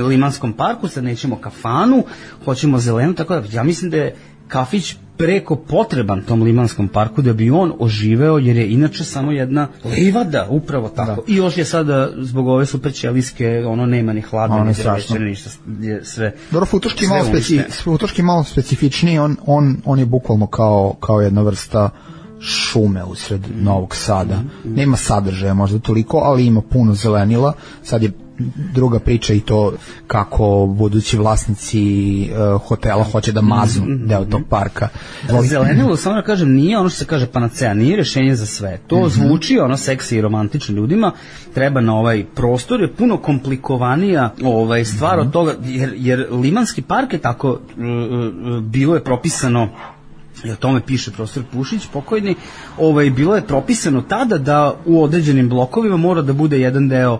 Limanskom parku, sad nećemo kafanu, hoćemo zelenu, tako da ja mislim da je kafić preko potreban tom Limanskom parku da bi on oživeo, jer je inače samo jedna livada, upravo tako. I još je sada zbog ove super ćelijske, nema ni hladne, ni večerne, ništa, sve. Dobro, Futoški malo specifičniji, on je bukvalno kao jedna vrsta šume usred Novog Sada. Nema sadržaja možda toliko, ali ima puno zelenila. Sad je druga priča i to kako budući vlasnici hotela hoće da maznu deo tog parka. Zelenilo, samo da kažem, nije ono što se kaže panacea, nije rešenje za sve. To zvuči seksi i romantično ljudima, treba na ovaj prostor, je puno komplikovanija stvar od toga, jer Limanski park je tako, bilo je propisano, i o tome piše profesor Pušić, pokojni, bilo je propisano tada da u određenim blokovima mora da bude jedan deo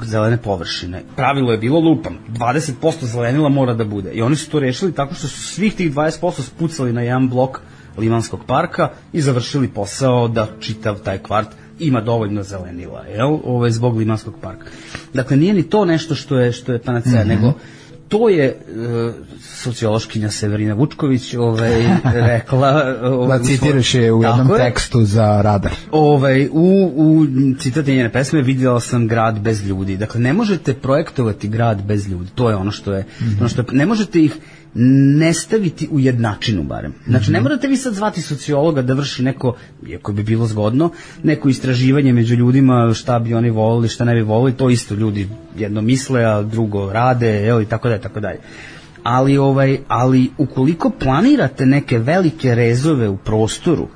zelene površine. Pravilo je bilo lupam, 20% zelenila mora da bude. I oni su to rešili tako što su svih tih 20% spucali na jedan blok Limanskog parka i završili posao da čitav taj kvart ima dovoljno zelenila, zbog Limanskog parka. Dakle, nije ni to nešto što je panacea, nego to je sociološkinja Severina Vučković rekla... Da citiraš je u jednom tekstu za Radar. U citati njene pesme vidjela sam grad bez ljudi. Dakle, ne možete projektovati grad bez ljudi. To je ono što je... Ne možete ih ne staviti u jednačinu barem. Znači, ne morate vi sad zvati sociologa da vrši neko, iako bi bilo zgodno, neko istraživanje među ljudima, šta bi oni volili, šta ne bi volili, to isto ljudi jedno misle, a drugo rade, i tako dalje. Ali ukoliko planirate neke velike rezove u prostoru,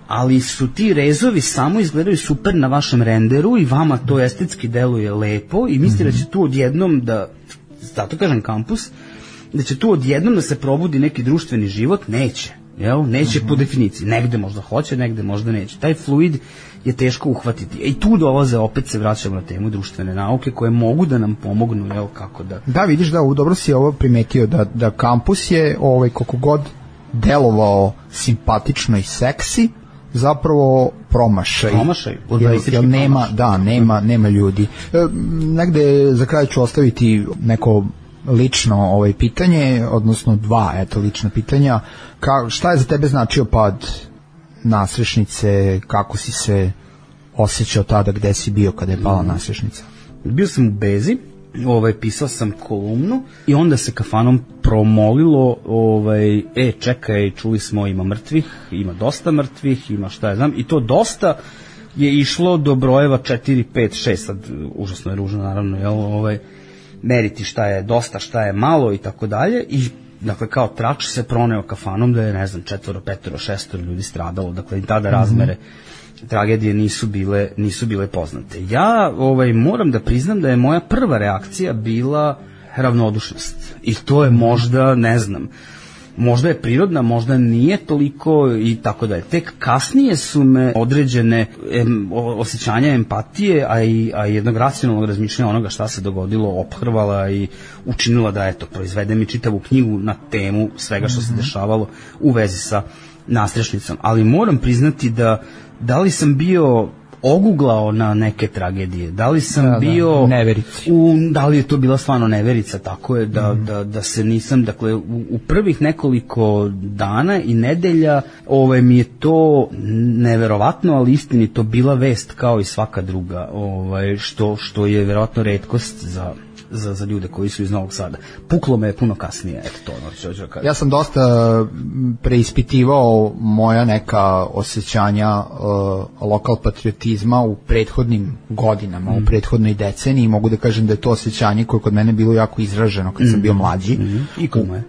ali su ti rezovi samo izgledaju super na vašem renderu i vama to estetski deluje lepo i mislite da će tu odjednom zato kažem kampus, da će tu odjednom da se probudi neki društveni život, neće. Neće po definiciji. Negde možda hoće, negde možda neće. Taj fluid je teško uhvatiti. I tu dolaze, opet se vraćamo na temu društvene nauke koje mogu da nam pomognu, kako da... Da, vidiš da, dobro si ovo primetio, da kampus je, koliko god delovao simpatično i seksi, zapravo promašaj. Jer nema ljudi. Negde za kraj ću ostaviti neko lično pitanje, odnosno dva lična pitanja. Šta je za tebe značio pad Nasrešnice, kako si se osjećao tada, gde si bio kada je pala Nasrešnica? Bio sam u Bezi, pisao sam kolumnu i onda se kafanom promolilo, čekaj, čuli smo ima mrtvih, ima dosta mrtvih, ima šta ja znam, i to dosta je išlo do brojeva 4, 5, 6, sad užasno je ružno naravno, meriti šta je dosta, šta je malo i tako dalje, i dakle kao trač se proneo kafanom da je, ne znam, 4, 5, 6 ljudi stradalo, dakle i tada razmere tragedije nisu bile poznate. Ja moram da priznam da je moja prva reakcija bila ravnodušnost i to je možda, ne znam, možda je prirodna, možda nije toliko i tako dalje. Tek kasnije su me određene osjećanja empatije, a i jednog racionalnog razmišljanja onoga šta se dogodilo ophrvala i učinila da, proizvedem i čitavu knjigu na temu svega što se dešavalo u vezi sa Nasrešnicom. Ali moram priznati da li sam bio oguglao na neke tragedije, da li sam bio neverici, da li je to bila stvarno neverica, tako je da se nisam, dakle u prvih nekoliko dana i nedelja mi je to neverovatno, ali istinito bila vest kao i svaka druga, što je verovatno retkost za ljude koji su iz Novog Sada. Puklo me je puno kasnije, Ja sam dosta preispitivao moja neka osjećanja lokal patriotizma u prethodnim godinama, u prethodnoj deceniji. Mogu da kažem da je to osjećanje koje kod mene bilo jako izraženo kad sam bio mlađi. I kod me.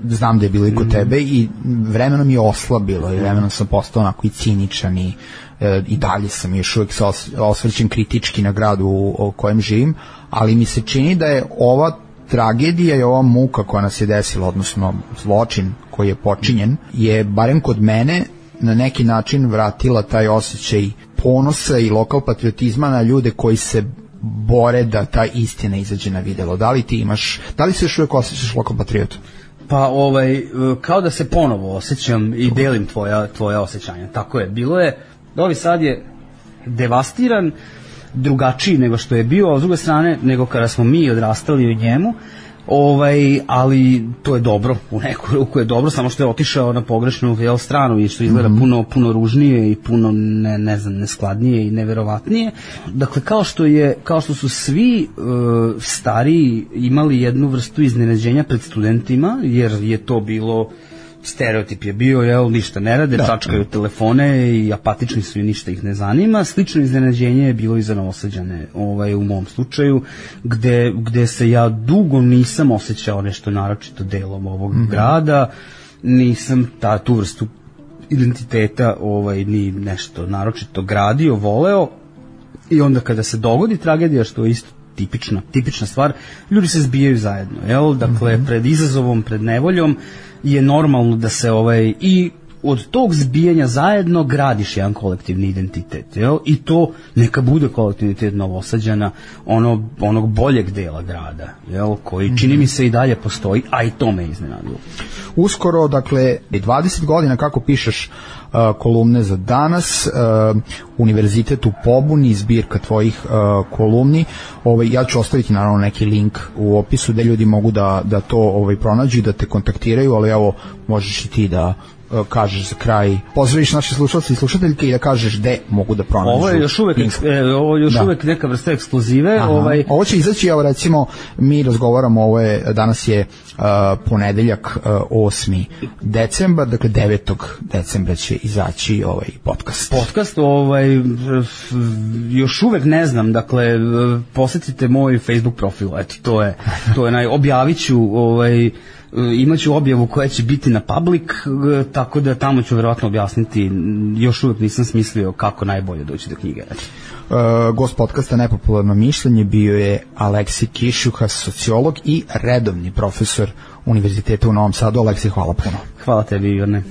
Znam da je bilo i kod tebe i vremenom je oslabilo i vremenom sam postao onako i ciničan i dalje sam još uvijek osvrćen kritički na gradu u kojem živim, ali mi se čini da je ova tragedija i ova muka koja nas je desila, odnosno zločin koji je počinjen, je barem kod mene na neki način vratila taj osjećaj ponosa i lokal patriotizma na ljude koji se bore da ta istina izađe na videlo. Da li se još uvijek osjećaš lokal patriotu? Pa kao da se ponovo osjećam i delim tvoja osjećanja. Tako je, bilo je, Novi Sad je devastiran, drugačiji nego što je bio, a s druge strane nego kada smo mi odrastali u njemu, ali to je dobro, u neku ruku je dobro, samo što je otišao na pogrešnu stranu i što izgleda puno ružnije i puno neskladnije i neverovatnije. Dakle, kao što su svi stariji imali jednu vrstu iznenađenja pred studentima, jer je to bilo, stereotip je bio, ništa ne rade, čačkaju telefone i apatični su i ništa ih ne zanima. Slično iznenađenje je bilo i za Novosađane u mom slučaju, gde se ja dugo nisam osjećao nešto naročito delom ovog grada, nisam tu vrstu identiteta ni nešto naročito gradio, voleo, i onda kada se dogodi tragedija, što je isto tipična stvar, ljudi se zbijaju zajedno, dakle pred izazovom, pred nevoljom je normalno da se i od tog zbijanja zajedno gradiš jedan kolektivni identitet, jel? I to neka bude kolektivni identitet Novosađana, onog boljeg dela grada, jel? Koji čini mi se i dalje postoji, a i to me iznenadilo. Uskoro, dakle, 20 godina kako pišeš kolumne za Danas, Univerzitet u pobuni, zbirka tvojih kolumni. Ja ću ostaviti naravno neki link u opisu da ljudi mogu da to pronađu i da te kontaktiraju, ali evo, možeš i ti da kažeš za kraj, pozdraviš naše slušalce i slušateljke i da kažeš gde mogu da pronađu. Ovo je još uvek neka vrsta ekskluzive. Ovo će izaći, evo recimo, mi razgovaramo, danas je ponedeljak 8. decembar, dakle 9. decembra će izaći ovaj podcast. Još uvek ne znam, dakle, posetite moj Facebook profil, eto, to je objavit ću, imaću objavu koja će biti na public, tako da tamo ću verovatno objasniti, još uvijek nisam smislio kako najbolje doći do knjige. Gost podcasta Nepopularno mišljenje bio je Aleksij Kišjuha, sociolog i redovni profesor Univerziteta u Novom Sadu. Aleksij, hvala puno. Hvala tebi, Ivane.